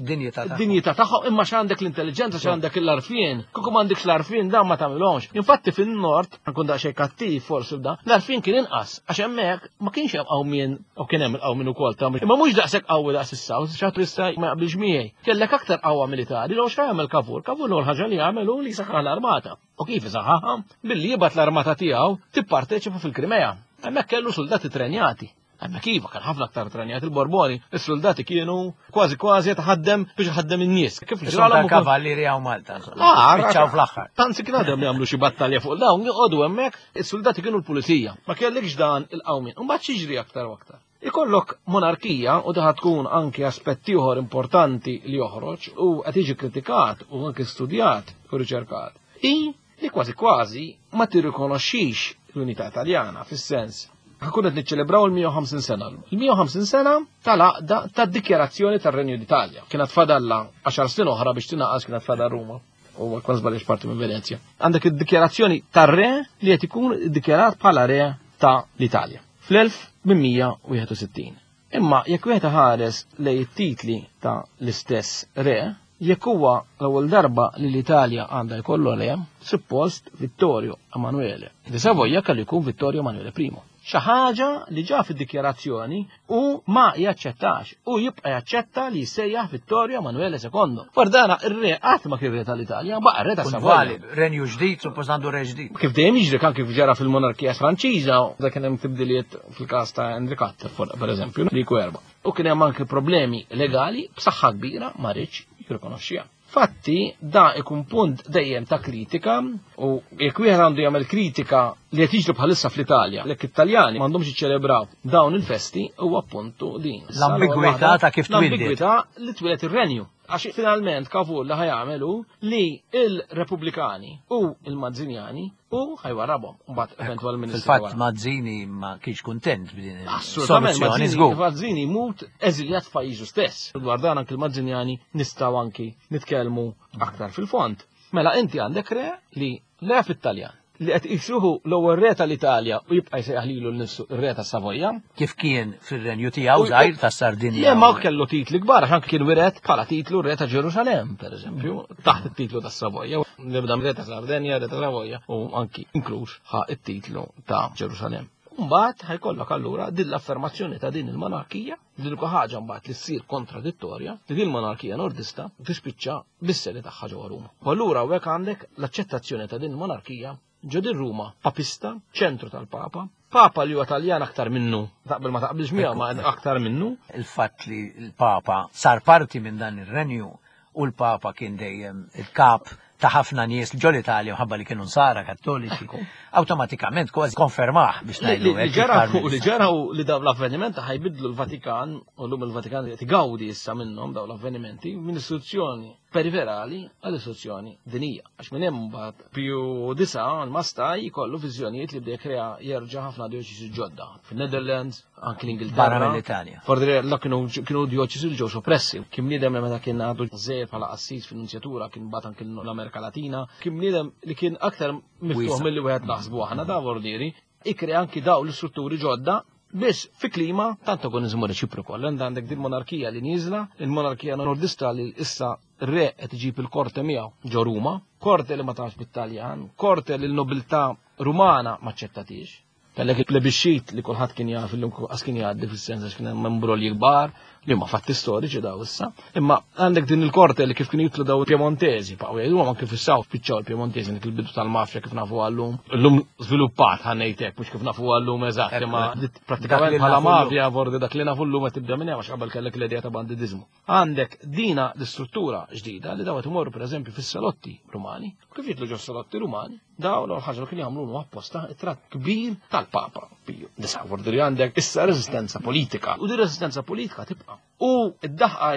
dinjità dinjità tagħhom, imma x'għandek l-intelligenza, x'għandek l-arfien. Kieku m'għandekx l-arfien dan ma tagħmilhomx. Infatti fin-nord, nkun daqsxejn kattiv forsi b'dan, l-arfien kien inqas għax hemmhekk ma kienx hemm qawmien u kien hemm il-qawmien ukoll ta' imma mhux daqshekk qawwi daqs is-South, xi ħadd issa ma jaqbilx miegħi. Kellek aktar qawwa militari, l x'għamel Cavour? Cavour l-ewwel ħaġa li għamel hu li saħħaħ l-armata. U kif isaħħaħha? Billi jibgħat l-armata tiegħu tipparteċipa fil-Krimea. Hemmhekk kellu soldati trenjati. Hemmhekk iva kien ħafna aktar trenjati il-Borboni, is-soldati kienu kważi kważi jtaħaddem biex iħaddem in-nies. Kif ġralhom kavallieri hawn Malta, insomma. Spiċċaw fl-aħħar. Tanzi kien għadhom jagħmlu xi battalja fuq dawn, joqogħdu hemmhekk, is-soldati kienu l-pulizija. Ma kellekx dan il-qawmien. U mbagħad xiġri aktar u aktar. Ikollok monarkija u daħ tkun anke aspett ieħor importanti li joħroġ u qed jiġi kritikat u anke studjat u riċerkat. I li kważi kważi ma tirrikonoxxix l-unità Taljana fis-sens ħakun qed niċċelebraw il-mija u ħamsin sena. Il-mija u ħamsin sena tal-għaqda tad-dikjarazzjoni tar-Renju d'Italja. Kienet fadalla għaxar snin oħra biex tingħaqas kienet fadal Ruma u kważi żbaljex parti minn Venezja. Għandek id-dikjarazzjoni tar-re li qed ikun iddikjarat bħala re ta' l-Italja fl-elf tmien mija u wieħed u sittin. Imma jekk wieħed ħares lejn it-titli ta' l-istess re, jekk huwa l-ewwel darba li l-Italja għandha jkollu re, suppost Vittorio Emanuele di Savoia kellu jkun Vittorio Emanuele Primo. Xi ħaġa li ġa fid-dikjarazzjoni u ma jaċċettax u jibqa' jaċċetta li jsejjaħ Vittorio Emanuele secondo. Guardana ir-re qatt ma kien re tal-Italja, baqa' re ta' Savoia. Renju ġdid, suppost għandu re ġdid. Kif dejjem jiġri kan kif ġara fil-monarkija Franċiża, dak kien hemm tibdiliet fil-każ ta' Henri Quatre, pereżempju, li jkun erba'. U kien hemm anke problemi legali b'saħħa kbira ma rridx jirrikonoxxiha. Fatti, da ikun punt dejjem ta' kritika, u jekk wieħed għandu jagħmel kritika li qed jiġri bħalissa fl-Italja, jekk it-Taljani m'għandhomx jiċċelebraw dawn il-festi, huwa appuntu din. L-ambigwità ta' kif twildet. L-ambigwità li twieled ir-renju. Għax finalment Cavour li ħajamel hu li il-Repubblikani u il-Mazzinjani u ħajwarabhom. Mbagħad eventwalment Fil-fatt Mazzini ma kienx kuntent b'din Assolutament, il-soluzzjoni żgur. Mazzini mut eżiljat f'pajjiżu stess. Dwar dan anki l-Mazzinjani nistgħu anki nitkellmu aktar fil-fond. Mela inti għandek re li le fit-Taljan, li qed jixruħu l-ewwel re tal-Italja u jibqa' jsejjaħ lilu nnifsu r-re ta' Savoja. Kif kien fir-renju tiegħu żgħir ta' Sardinja. Le ma kellu titli kbar, għax kien wiret bħala titlu re ta' Ġerusalem, pereżempju, taħt it-titlu ta' Savoja. Nibda re ta' Sardinja, re ta' Savoja u anki inkluż ħa it-titlu ta' Ġerusalem. Mbagħad ħajkollok allura din l-affermazzjoni ta' din il-monarkija, din ħaġa mbagħad li ssir kontradittorja, li din il-monarkija nordista tispiċċa bis-sedi tagħha ġewwa Ruma. U allura hawnhekk għandek l-aċċettazzjoni ta' din il-monarkija ġo din Ruma, papista, ċentru tal-Papa, Papa li huwa Taljan aktar minnu, taqbel ma taqbilx miegħu ma aktar minnu. Il-fatt li l-Papa sar parti minn dan ir-renju u l-Papa kien dejjem il-kap ta' ħafna nies ġol Italja mħabba li kienu nsara kattoliċi, awtomatikament kważi konfermah biex ngħidu Li ġara li ġara li dawn l-avvenimenti ħajbidlu l-Vatikan, u llum il-Vatikan qed igawdi issa minnhom dawn l-avvenimenti minn istituzzjoni periferali għal istituzzjoni dinija. Għax minn hemm mbagħad Piju disa l-Mastaj jkollu viżjonijiet li bdew krea jerġa' ħafna dioċesi ġodda. Fin-Netherlands, anki l-Ingilterra. Barra mill-Italja. Fordri la kienu kienu dioċesi li ġew soppressi. Kien bniedem li meta kien għadu żejr bħala qassis fin-nunzjatura kien bagħat anki l-Amerika Latina. Kien bniedem li kien aktar miftuħ milli wieħed naħsbu aħna da vordieri. Ikri anki daw l-istrutturi ġodda biss fi klima ta' antagonizmu reċiproku. Għandek għandek din monarkija li nieżla, il-monarkija nordista li issa re qed iġib il-korte miegħu ġo Ruma, korte li ma tafx bit-Taljan, korte li l-nobiltà Rumana ma ċċettatix. Kellek il-plebiscit li kulħadd kien jaf illum qas kien jgħaddi fis-sens għax kien hemm imbrolji kbar li huma fatti storiċi daw issa. Imma għandek din il-korte li kif kienu jitlu daw il-Piemontesi, baqgħu jgħiduhom anke fis-South spiċċaw il-Piemontesi dik il-bidu tal-mafja kif nafu għallum. Illum żviluppat ħa ngħid hekk mhux kif nafu għallum eżatt, imma prattikament bħala mafja vordi dak li nafu llum qed tibda minn hemm għax qabel kellek l-idea ta' bandidizmu. Għandek dina l-istruttura ġdida li daw qed imorru pereżempju fis-salotti Rumani. Kif jitlu ġo salotti Rumani, daw l ħaġa li kienu jagħmlu apposta it-tratt kbir tal-Papa Piju. Disa vordi li għandek issa reżistenza politika. U di reżistenza politika tibqa'. U id-daħqa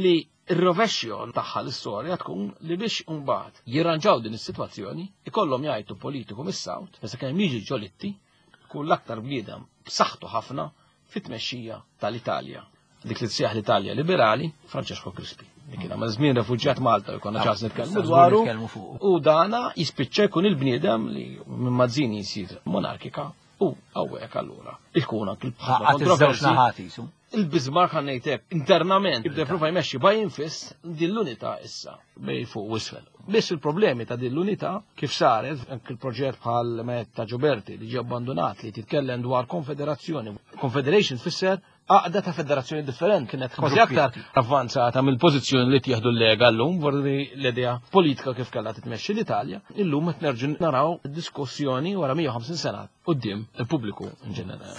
li ir-rovexxjo tagħha l-istorja tkun li biex imbagħad jirranġaw din is-sitwazzjoni ikollhom jgħidu politiku mis-South, meta kemm jiġi Ġolitti, kull l-aktar bniedem b'saħħtu ħafna fit-tmexxija tal-Italja. Dik li tsejjaħ l-Italja liberali, Francesco Crispi. Li kien għamel żmien refuġjat Malta u konna ċans nitkellmu dwaru. U dana jispiċċa jkun il-bniedem li minn Mazzini jsir monarkika u hawnhekk allura ikun anki l-kontroversji. Il-Bismarck ħa ngħidlek internament jibda jipprova jmexxi by infist din l-unità issa bej fuq u isfel. Biss il-problemi ta' din l-unità kif saret anke il-proġett bħal Metta Gioberti li ġie abbandonat li titkellem dwar konfederazzjoni. Confederation tfisser għaqda ta' federazzjoni differenti kienet kważi aktar avvanzata mill-pożizzjoni li tieħdu l-Lega llum vordi l-idea politika kif kellha titmexxi l-Italja, illum qed nerġgħu naraw diskussjoni wara mija u ħamsin sena quddiem il-pubbliku in ġenerali.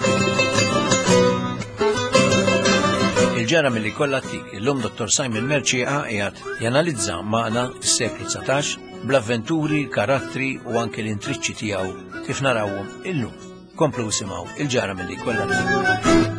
Il-ġara milli kollha tik, illum Dottor Simon Mercieca qiegħed janalizza magħna s-seklu dsatax bl-avventuri, karattri u anke l-intriċċi tiegħu kif narawhom illum. Komplu simgħu il-ġara milli kollha tik.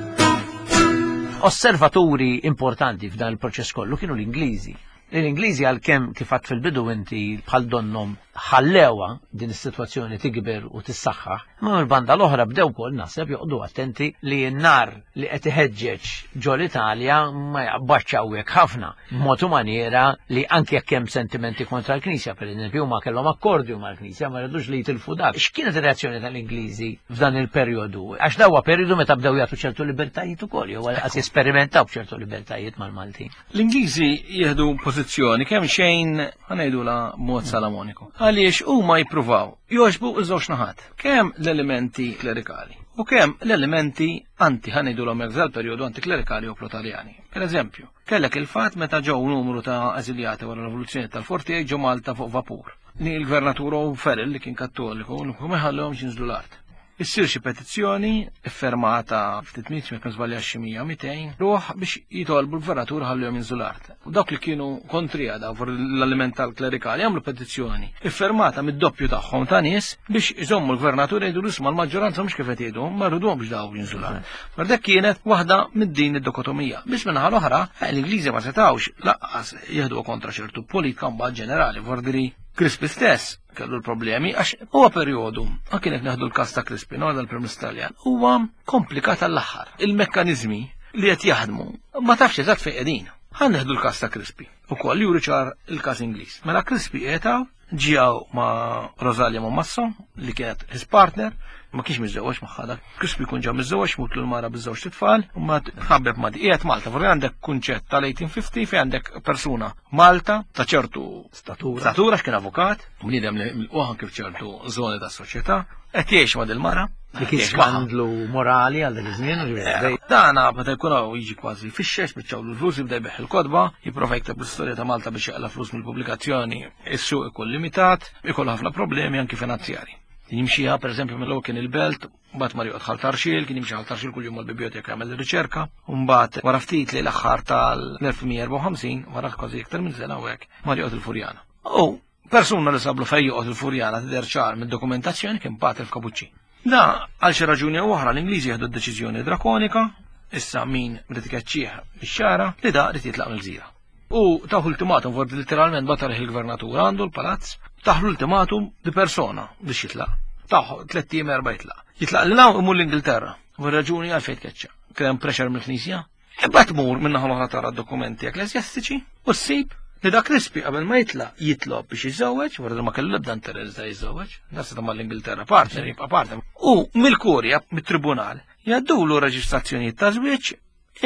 Osservaturi importanti f'dan il-proċess kollu kienu l-Ingliżi. L-Ingliżi għalkemm kif għadt fil-bidu inti bħal donnom ħallewa din is-sitwazzjoni tikber u tissaħħaħ, imma mill-banda l-oħra bdew ukoll naħseb joqogħdu attenti li n-nar li qed iħeġġeġ ġol Italja ma jaqbadx hawnhekk ħafna, b'mod u maniera li anke jekk hemm sentimenti kontra l-Knisja, pereżempju huma kellhom akkordju mal-Knisja ma rridux li jitilfu dak. X'kienet ir-reazzjoni tal-Ingliżi f'dan il-perjodu? Għax daw huwa perjodu meta bdew jagħtu ċertu libertajiet ukoll, jew għas jesperimentaw b'ċertu libertajiet mal-Maltin. L-Ingliżi jieħdu pożizzjoni kemm xejn ħanejdula mod salamoniku. Għaliex huma jippruvaw jogħġbu ż-żewġ naħat, kemm l-elementi klerikali u kemm l-elementi anti ħanejdulhom hekk dal-perjodu antiklerikali u protaljani. Per eżempju, kellek il-fatt meta ġew numru ta' eżiljati wara l-rivoluzzjoni tal-Fortier ġew Malta fuq vapur. Ni l-gvernatur O'Farrell li kien kattoliku, ma ħallehomx jinżlu l-art. Issir xi petizzjoni iffermata ftit mitt jekk ma żbaljax xi mija mitejn ruħ biex jitolbu l-gvernatur ħallihom jinżlu l-art. U dawk li kienu kontrija daw fuq l-element tal-klerikali għamlu petizzjoni iffermata mid-doppju tagħhom ta' nies biex iżommu l-gvernatur jgħidu isma' l-maġġoranza mhux kif qed jgħidu, ma rridhomx daw jinżlu l-art. Ma dak kienet waħda mid-din id-dikotomija. Biss minnaħa l-oħra, l-Ingliżi ma setgħux laqqas jieħdu kontra ċertu politika mbagħad ġenerali, vordiri Crispi stess kellu l-problemi għax huwa perjodu, anke jekk neħdu l-każ ta' Crispi, no, dal-Prim Ministru Taljan, huwa komplikat għall-aħħar. Il-mekkaniżmi li qed jaħdmu ma tafx eżatt fejn qegħdin. Ħa neħdu l-każ ta' Crispi, ukoll juri ċar il-każ Ingliż. Mela Crispi qiegħed Ġijaw ma' Rosalia Mommassa, li kienet his partner, ma kienx miżżewweġ magħha dak. Crispi jkun ġa miżżewweġ, mutlu l-mara biż-żewġ tfal, u ma tħabbeb ma' di. Qiegħed Malta, forsi għandek kunċett tal-eighteen fifty fejn għandek persuna Malta ta' ċertu Statura. Statura x'kien avukat, bniedem li milquħan kif ċertu żoni tas-soċjetà, qed jgħix ma' dil-mara. Li kien Jgħix magħha. skandlu morali għal dak iż-żmien, ġifieri. Dana meta jkun hawn jiġi kważi fixxex, biċċawlu l-flus, jibda jbeħ il-kotba, jipprova jikteb l-istorja ta' Malta biex jaqla flus mill-pubblikazzjoni, is-suq ikun limitat, ikollu ħafna problemi anki finanzjari. Jimxiha per eżempju mill kien il-Belt, mbagħad mar joqgħod Ħal Tarxien, kien jimxi Ħal Tarxien kuljum mal-biblioteka jagħmel riċerka, u mbagħad wara ftit li l-aħħar tal-elf tmien mija u erbgħa u ħamsin, wara kważi iktar minn sena u hekk, mar joqgħod il-Furjana. U persuna li sablu fejn joqgħod il-Furjana tidher ċar mid-dokumentazzjoni kien Pater F'Kapuċċin. Da, għal xi raġuni u oħra l-Ingliżi jieħdu d-deċiżjoni drakonika, issa min rid ikeċċih bix-xara, li da rid jitlaq mill-gżira. U taħu ultimatum, for literalment batar il-gvernatur għandu l-palazz, taħlu ultimatum di persona biex jitlaq. Taħu tlett ijiem, erba' jitlaq. Jitlaq l naw imur l-Ingilterra. U raġuni għal fejn tkeċċa. Kien hemm pressure mill-Knisja. Imbagħad tmur minn naħa l-oħra tara dokumenti ekklesjastiċi u ssib li dak Crispi qabel ma jitlaq jitlob biex jiżżewweġ, wara li ma kellu l-ebda interess da jiżżewweġ, da seta' mal-Ingilterra partner, jibqa' partner. U mill-kurja, mit-tribunal, jgħaddulu reġistrazzjonijiet ta' żwieġ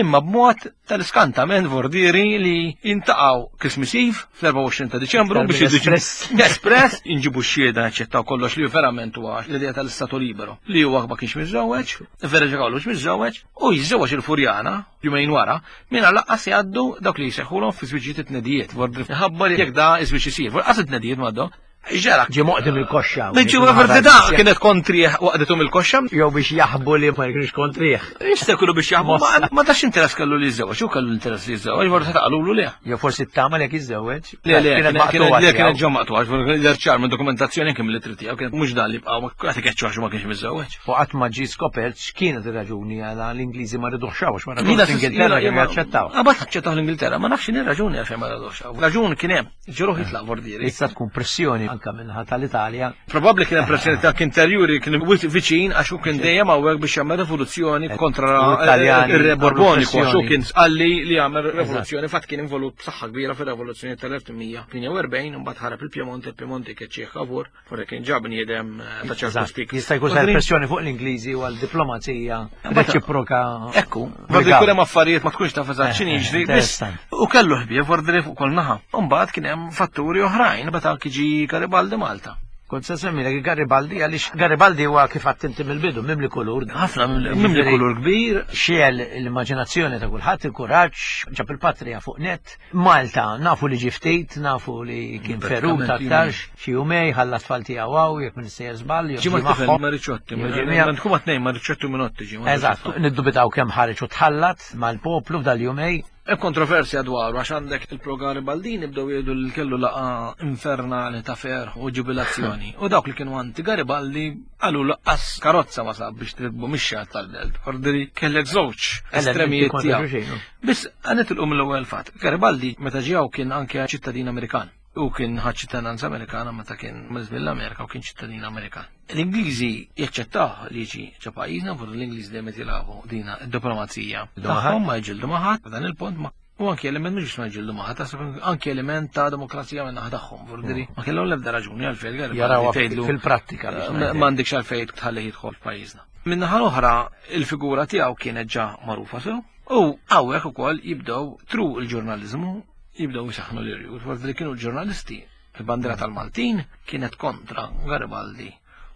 imma b'mod tal-iskantament vordieri li jintaqgħu Christmas Eve fl-erbgħa u għoxrin ta' Diċembru Iktar biex minn jiddu espress. Espress, inġibu x-xhieda, naċċettaw kollox li verament huwa l-idea tal-istatu libero li huwa ma kienx miżżewweġ, verifikaw mhux miżżewweġ, u jiżżewweġ il-Furjana jumejn wara, minn laqqas jgħaddu dawk li jseħħulhom fi żwiġijiet it-tnedijiet, vordi ħabba li jekk da iż-żwieġ isir, qas it-tnedijiet m'għaddu. Ġara. Ġie moqdim il-koxxa. Ġi vordi da kienet kontrih waqdetum il-koxxa. Jew biex jaħbu li ma jkunx kontrih. Jista' jkunu biex jaħbu, ma ma tax interess kellu li jiżżewweġ, u kellu interess li jiżżewweġ, vordi taqalulu le. Jew forsi t-tama li jekk jiżżewweġ. Le, le, Kienet kienet maqtugħa le, kienet tiegħu. ġo maqtugħa, vordi ċar minn dokumentazzjoni kemm li trid kienet mhux dan li bqgħu ma qed ikeċċu għax ma kienx miżżewweġ. U qatt ma ġie skopert x'kienet ir-raġuni għala l-Ingliżi ma ridux għax ma Mina l-Ingilterra kienu jaċċettaw. Għabat aċċettaw l-Ingilterra, ma nafx x'inhi raġuni għalfejn ma radux. Raġuni kien hemm, ġeruħ jitlaq vordieri. Issa tkun pressjoni anka minħa tal-Italja. Probabbli kien hemm pressjoni ta' interjuri kien wisq viċin għax hu kien dejjem hawnhekk biex jagħmel rivoluzzjoni kontra U Italjani ir-Re Borboniku, għax hu pressjoni. kien sqalli li jagħmel rivoluzzjoni, fatt kien involut b'saħħa kbira fir-rivoluzzjoni tal-elf tmien mija tmienja u erbgħin, u mbagħad ħarab il-Piemonte, il-Piemonte keċċieħ favur, forse kien ġab bniedem eh, ta' ċertu Eżatt. spik. Jista' jkun sar pressjoni fuq l-Ingliżi u għal-diplomazija reċiproka. Ekku, vordi jkun hemm affarijiet ma tkunx taf eżatt x'inhi Eh, jiġri, biss interessanti. u kellu ħbieb vordi fuq kol naħa. U mbagħad kien hemm fatturi oħrajn meta anki ġi Garibaldi Malta. Kont se semmilek Garibaldi għaliex Garibaldi huwa kif għattinti mill-bidu mimli kulur. Ħafna mimli kulur kbir. Xiel l-immaġinazzjoni ta' kulħadd, il-kuraġġ, ġab il-patrija fuq net. Malta nafu li ġie ftit, nafu li kien ferut Pratikament aktarx, xi jumej ħalla tfal tiegħu hawn, jekk minn sejjer żball, jew Ġi ma ġie tifel magħhom. ma Ricciotti, Jew ġie miegħu. ma tkun ma tnejn ma Ricciotti u Minotti ġi. ma Eżatt, niddubitaw kemm ħareġ u tħallat mal-poplu f'dal-jumej. Hemm kontroversja dwaru għax għandek il-pro Garibaldini bdew jgħidu li kellu laqa infernali ta' ferħ u ġubilazzjoni. U dawk li kienu anti Garibaldi qalu laqqas karozza ma sab biex trikbu mixja tal-belt. Ordiri kellek żewġ estremijiet kontra tiegħu. xulxin, no? Biss għanet il mill-ewwel fatt. Garibaldi meta ġew kien anke ċittadin Amerikan. U kien ħadd ċittadinanza Amerikana meta kien mill-Amerika u kien ċittadin Amerikan. L-Ingliżi jaċċettaw li jiġi ġo pajjiżna, fuq l-Ingliżi dejjem qed jilagħbu dina id-diplomazija. Tagħhom ma jġildu ma' ħadd, f'dan il-punt ma U anki element mhux ma jġildu ma' ħadd, taħseb anki element ta' demokrazija minn naħa tagħhom, vordiri. Ma kellhom l-ebda raġuni għalfejn Garibaldi Jaraw tgħidlu, fil-prattika biex Ma ngħidlek. m'għandekx għalfejn tħalli jidħol f'pajjiżna. Min-naħa l-oħra, il-figura tiegħu kienet ġa magħrufa sew. U hawnhekk ukoll jibdew tru il-ġurnaliżmu, jibdew jisaħnu l-irjut. Forsi li kienu l-ġurnalisti, il-bandiera tal-Maltin kienet kontra Garibaldi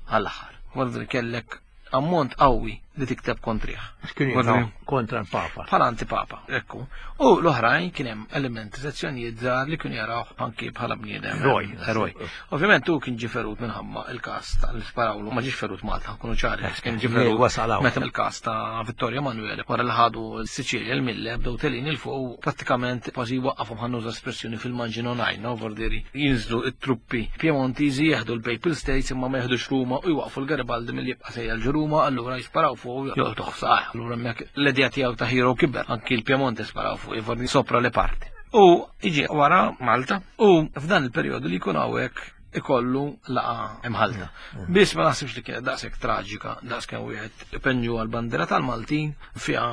għall-aħħar. Forsi li kellek ammont qawwi li tikteb kontrih. Kienu Vordi- jgħidu kontra l-Papa. Bħala antipapa, ekku. U l-oħrajn kien hemm elementi sezzjonijiet żgħar li kienu jaraw anki bħala bniedem. Eroj. Eroj. Ovvjament hu kien ġie ferut minħabba il-każ tal-sparawlu, ma ġiex ferut Malta, kunu ċari, kien ġie ferut wasal hawn. meta il-każ ta' Vittorio Emanuele wara li ħadu l-Siċilja l-Mille bdew telin il fuq u prattikament kważi waqqafhom, ħa nuża espressjoni fil-manġino najna, vordiri jinżlu it-truppi Piemontiżi jeħdu l-Papal States imma ma jeħdux Ruma u jwaqfu l-Garibaldi milli jibqa' sejjer ġo Ruma, allura jisparaw fuq u joqtuh saħ. Allura hemmhekk l-idea tiegħu ta' hero kiber, anki l-Piemonte sparaw fuq jiforni sopra le parti. U iġi wara Malta u f'dan il-perjodu li jkun hawnhekk ikollu laqa imħalta. Biss ma naħsibx li kienet daqshekk traġika, daqs kemm wieħed ipenġu għal-bandiera tal-Maltin, fiha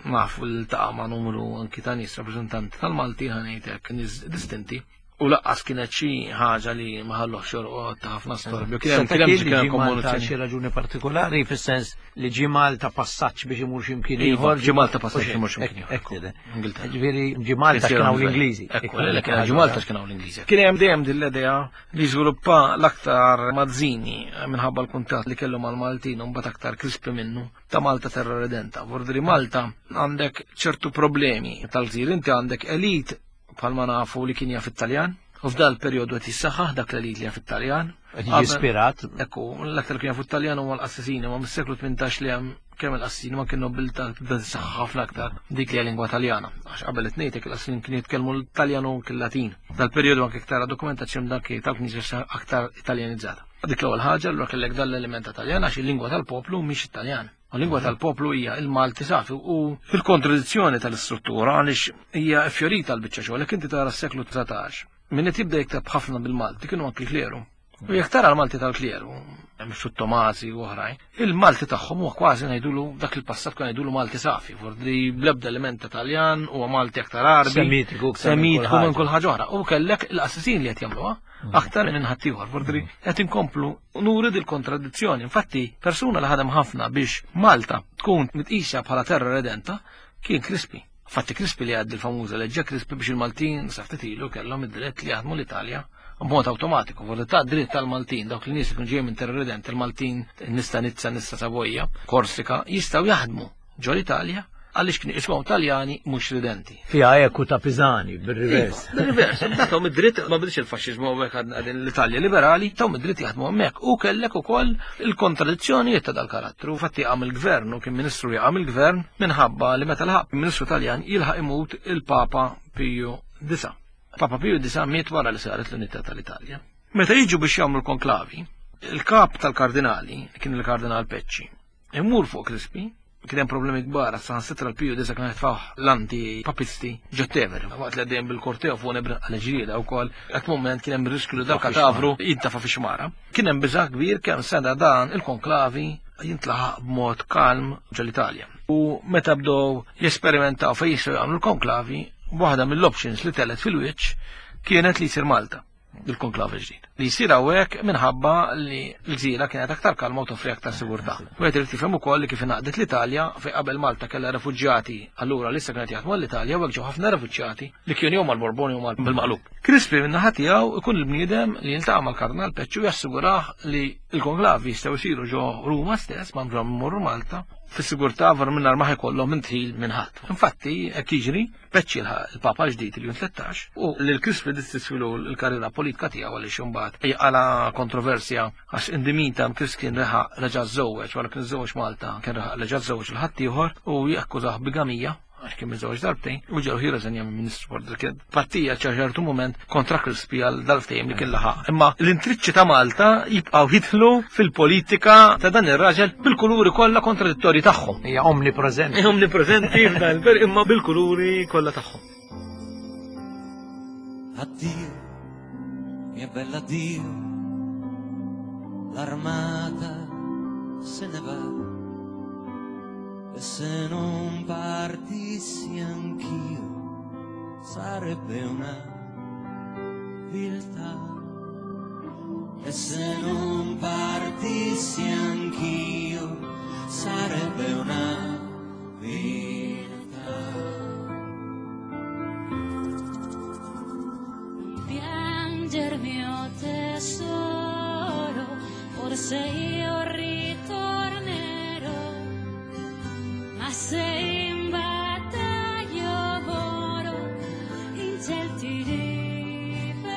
nafu l-taqa ma' numru anki ta' nies rappreżentanti tal-Maltin, ħa ngħidlek nies distinti. U laqqas kienet xi ħaġa li ma ħalluhx jorqod ta' ħafna storbju. Kien hemm Seta' kien hemm kien kien hemm ġie Malta kommozzjoni. xi raġuni partikolari fis-sens li ġie Malta passaġġ biex imur xi mkien Iva, ieħor. ġie Malta passaġġ biex imur xi mkien ieħor. Hekk tidher. Ingilterra. Ġifieri ġie Malta x'kien hawn l-Ingliżi. Ekku, le, kien ġie Malta x'kien hawn l-Ingliżi. Kien hemm dejjem din l-idea li żviluppa l-aktar Mazzini minħabba l-kuntatt li kellu mal-Maltin u mbagħad aktar Crispi minnu ta' Malta terra redenta. Vordri Malta għandek ċertu problemi tal-gżir, inti għandek elit bħalma nafu li kien jaf it-Taljan, u f'dal perjodu qed jissaħħaħ dak l-elit li jaf it-Taljan. Qed jiġi ispirat. Ekku, l-aktar kien jafu it-Taljan huma l-qassisini, ma mis-seklu tmintax li hemm kemm il-qassisin ma kien nobiltà tibda tissaħħaħ ħafna aktar dik li hija lingwa Taljana. Għax qabel it ngħidlek il-qassisin kienu jitkellmu l-Taljan u anke l-Latin. Dal-perjodu anke iktar dokumentazzjoni dak tal-Knisja aktar Italjanizzata. Dik l-ewwel ħaġa, allura kellek dan l-element ta' Taljan għax il-lingwa tal-poplu mhix Italjan. U l-lingwa tal-poplu hija il-Malti safi u fil-kontradizzjoni tal-istruttura għaliex hija fjorita l-biċċa xogħol, jekk inti tara s-seklu dsatax. Min qed jibda jikteb ħafna bil-Malti kienu anki l-kleru. U jekk tara l-Malti tal-kleru, hemm xu Tomasi u oħrajn, il-Malti tagħhom huwa kważi ngħidulu dak il-passat kien ngħidulu Malti safi, fordi bl-ebda element Taljan huwa Malti aktar Arbi. Semitiku aktar minn kull Semitiku minn ħaġa. kull ħaġa oħra. U kellek il-qassisin li qed jagħmluha aktar minn ħaddieħor, fordi qed inkomplu nuri dil-kontradizzjoni. Infatti, persuna li ħadem ħafna biex Malta tkun mitqisha bħala terra redenta kien Crispi. Infatti Crispi li għaddi l-famuża leġġa Crispi biex il-Maltin sa ftit ilu kellhom id-dritt li jaħdmu l-Italja b'mod awtomatiku, vordi ta' dritt tal-Maltin, dawk li nies li kienu ġejjin minn terra redenta, il-Maltin, nista Nizza, nista Savoja, Korsika, jistgħu jaħdmu ġo l-Italja għaliex kienu jismaw Taljani mhux ridenti. Fiha eku ta' Pisani, bil-rivers. Bil-rivers, tathom id-dritt, ma bidix il-faxxiżmu hawnhekk għadna l-Italja liberali, tahom id-dritt jaħdmu hemmhekk. U kellek ukoll il-kontradizzjonijiet ta' dal-karattru. Fatti qam il-gvern u kien ministru jaqam il-gvern minħabba li meta laħaq ministru Taljan jilħaq imut il-Papa Piju Disa. Papa Piju Disa miet wara li saret l-unità tal-Italja. Meta jiġu biex jagħmlu l-konklavi, il-kap tal-kardinali, li kien il-kardinal Pecci, imur fuq Crispi, kien hemm problemi kbar, saħansitra l-Piju Disa kien jitfgħu l-anti-papisti ġo-Tevere. Waqt li għaddejjem bil-korteo fuq nebra għal-ġrieda wkoll, għat moment kien hemm riskju li dal-katavru jintafa' fi xmara. Kien hemm biża' kbir kemm sena dan il-konklavi jintlaħaq b'mod kalm ġol-Italja. U meta bdew jesperimentaw fejn jistgħu jagħmlu l-konklavi, waħda mill-options li telet fil-wiċċ kienet li jsir Malta il-konklavi ġdid. Li jsir hawnhekk minħabba li l-gżira kienet aktar kalma u toffri aktar sigurtà. U qed irid tifhem ukoll li kif ingħaqdet l-Italja fejn qabel Malta kellha refuġjati, allura lissa kienet jaħdmu l-Italja u hekk ġew ħafna refuġjati li kienu jew mal-Borboni jew bil-maqlub. Crispi min-naħa tiegħu ikun il-bniedem li jiltaqa' mal-Kardinal Pecci u jassigurah li l-konklavi jistgħu jsiru ġo Ruma stess, ma bżonn mmorru Malta, fis-sigurtà var minn ma ħajkollhom minn tħil minn ħadd. Infatti, hekk jiġri, Pecci il-Papa ġdid il-Jun tlettax u lil Crispi distisfilu l-karriera politika tiegħu għaliex imbagħad għala kontroversja għax indimita Crispi kien reħa reġa' żewweġ wara kien żewweġ Malta kien reħa reġa' żewweġ il ħaddieħor u jakkużah bigamija għax kien miżewġ darbtejn u ġew jirreżenja minn Ministru Border kien partija ċertu moment kontra Crispi għal dal-ftehim li kien laħaq. Imma l-intriċċi ta' Malta jibqgħu jidħlu fil-politika ta' dan ir-raġel bil-kuluri kollha kontradittorji tagħhom. Hija omnipreżenti. Hija omnipreżenti f'dan il-per imma bil-kuluri kollha tagħhom. Addio, mia bella addio, l'armata se ne va. E se non partissi anch'io, sarebbe una viltà. E se non partissi anch'io, sarebbe una viltà. Pianger mio tesoro, forse io ritornerò, ma se in battaglia moro, in ciel ti rivedrò.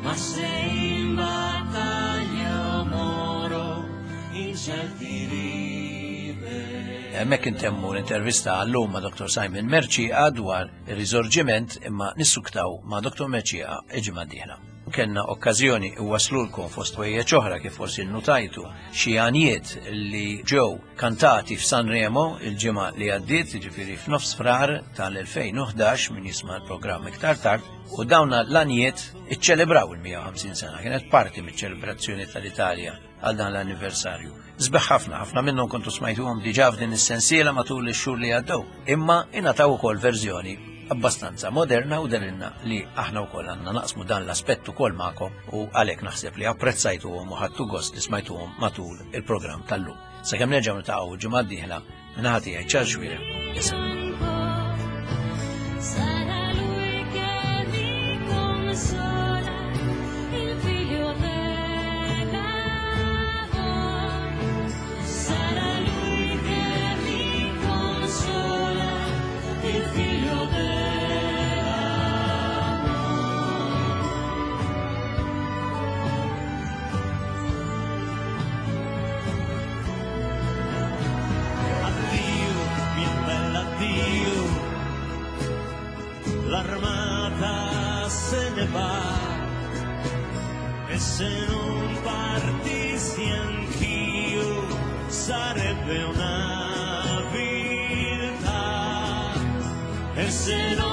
Ma se in battaglia moro, in ciel ti rivedrò. Hemmhekk intemmu l-intervista għallum ma' Doktor Simon Mercieca dwar ir-riżorġiment, imma nissuktaw ma' Doktor Mercieca il-ġimgħa d-dieħla. Kenna okkażjoni waslulkom fost ħwejjeġ oħra kif forsi nnutajtu xi għanjiet li ġew kantati f'Sanremo il-ġimgħa li għaddiet, jiġifieri f'nofs Frar tal-elfejn u ħdax min jisma' l-programm iktar tard, u dawna l-għanjiet iċċelebraw il-mija u ħamsin sena, kienet parti miċ-ċelebrazzjoni tal-Italja għal dan l-anniversarju. Sbeħ ħafna, ħafna minnhom kontu smajtuhom diġà f'din is-sensiela matul ix-xhur li għaddew, imma ingħataw ukoll verżjoni abbastanza moderna u derinna li aħna wkoll għandna naqsmu dan l-aspett ukoll magħkom u għalhekk naħseb li apprezzajtuhom u ħadtu gost li smajtuhom matul il-programm tal-lum. Sakemm nerġgħu niltaqgħu ġimgħa d-dieħla minn tiegħi Charles Xuereb. Sarà lui che mi consola, il figlio dell'amor. Sarà lui che mi consola, il figlio dell'amor. Addio, mia bella addio, l'armata se ne va e se non partissi anch'io sarebbe una viltà e se non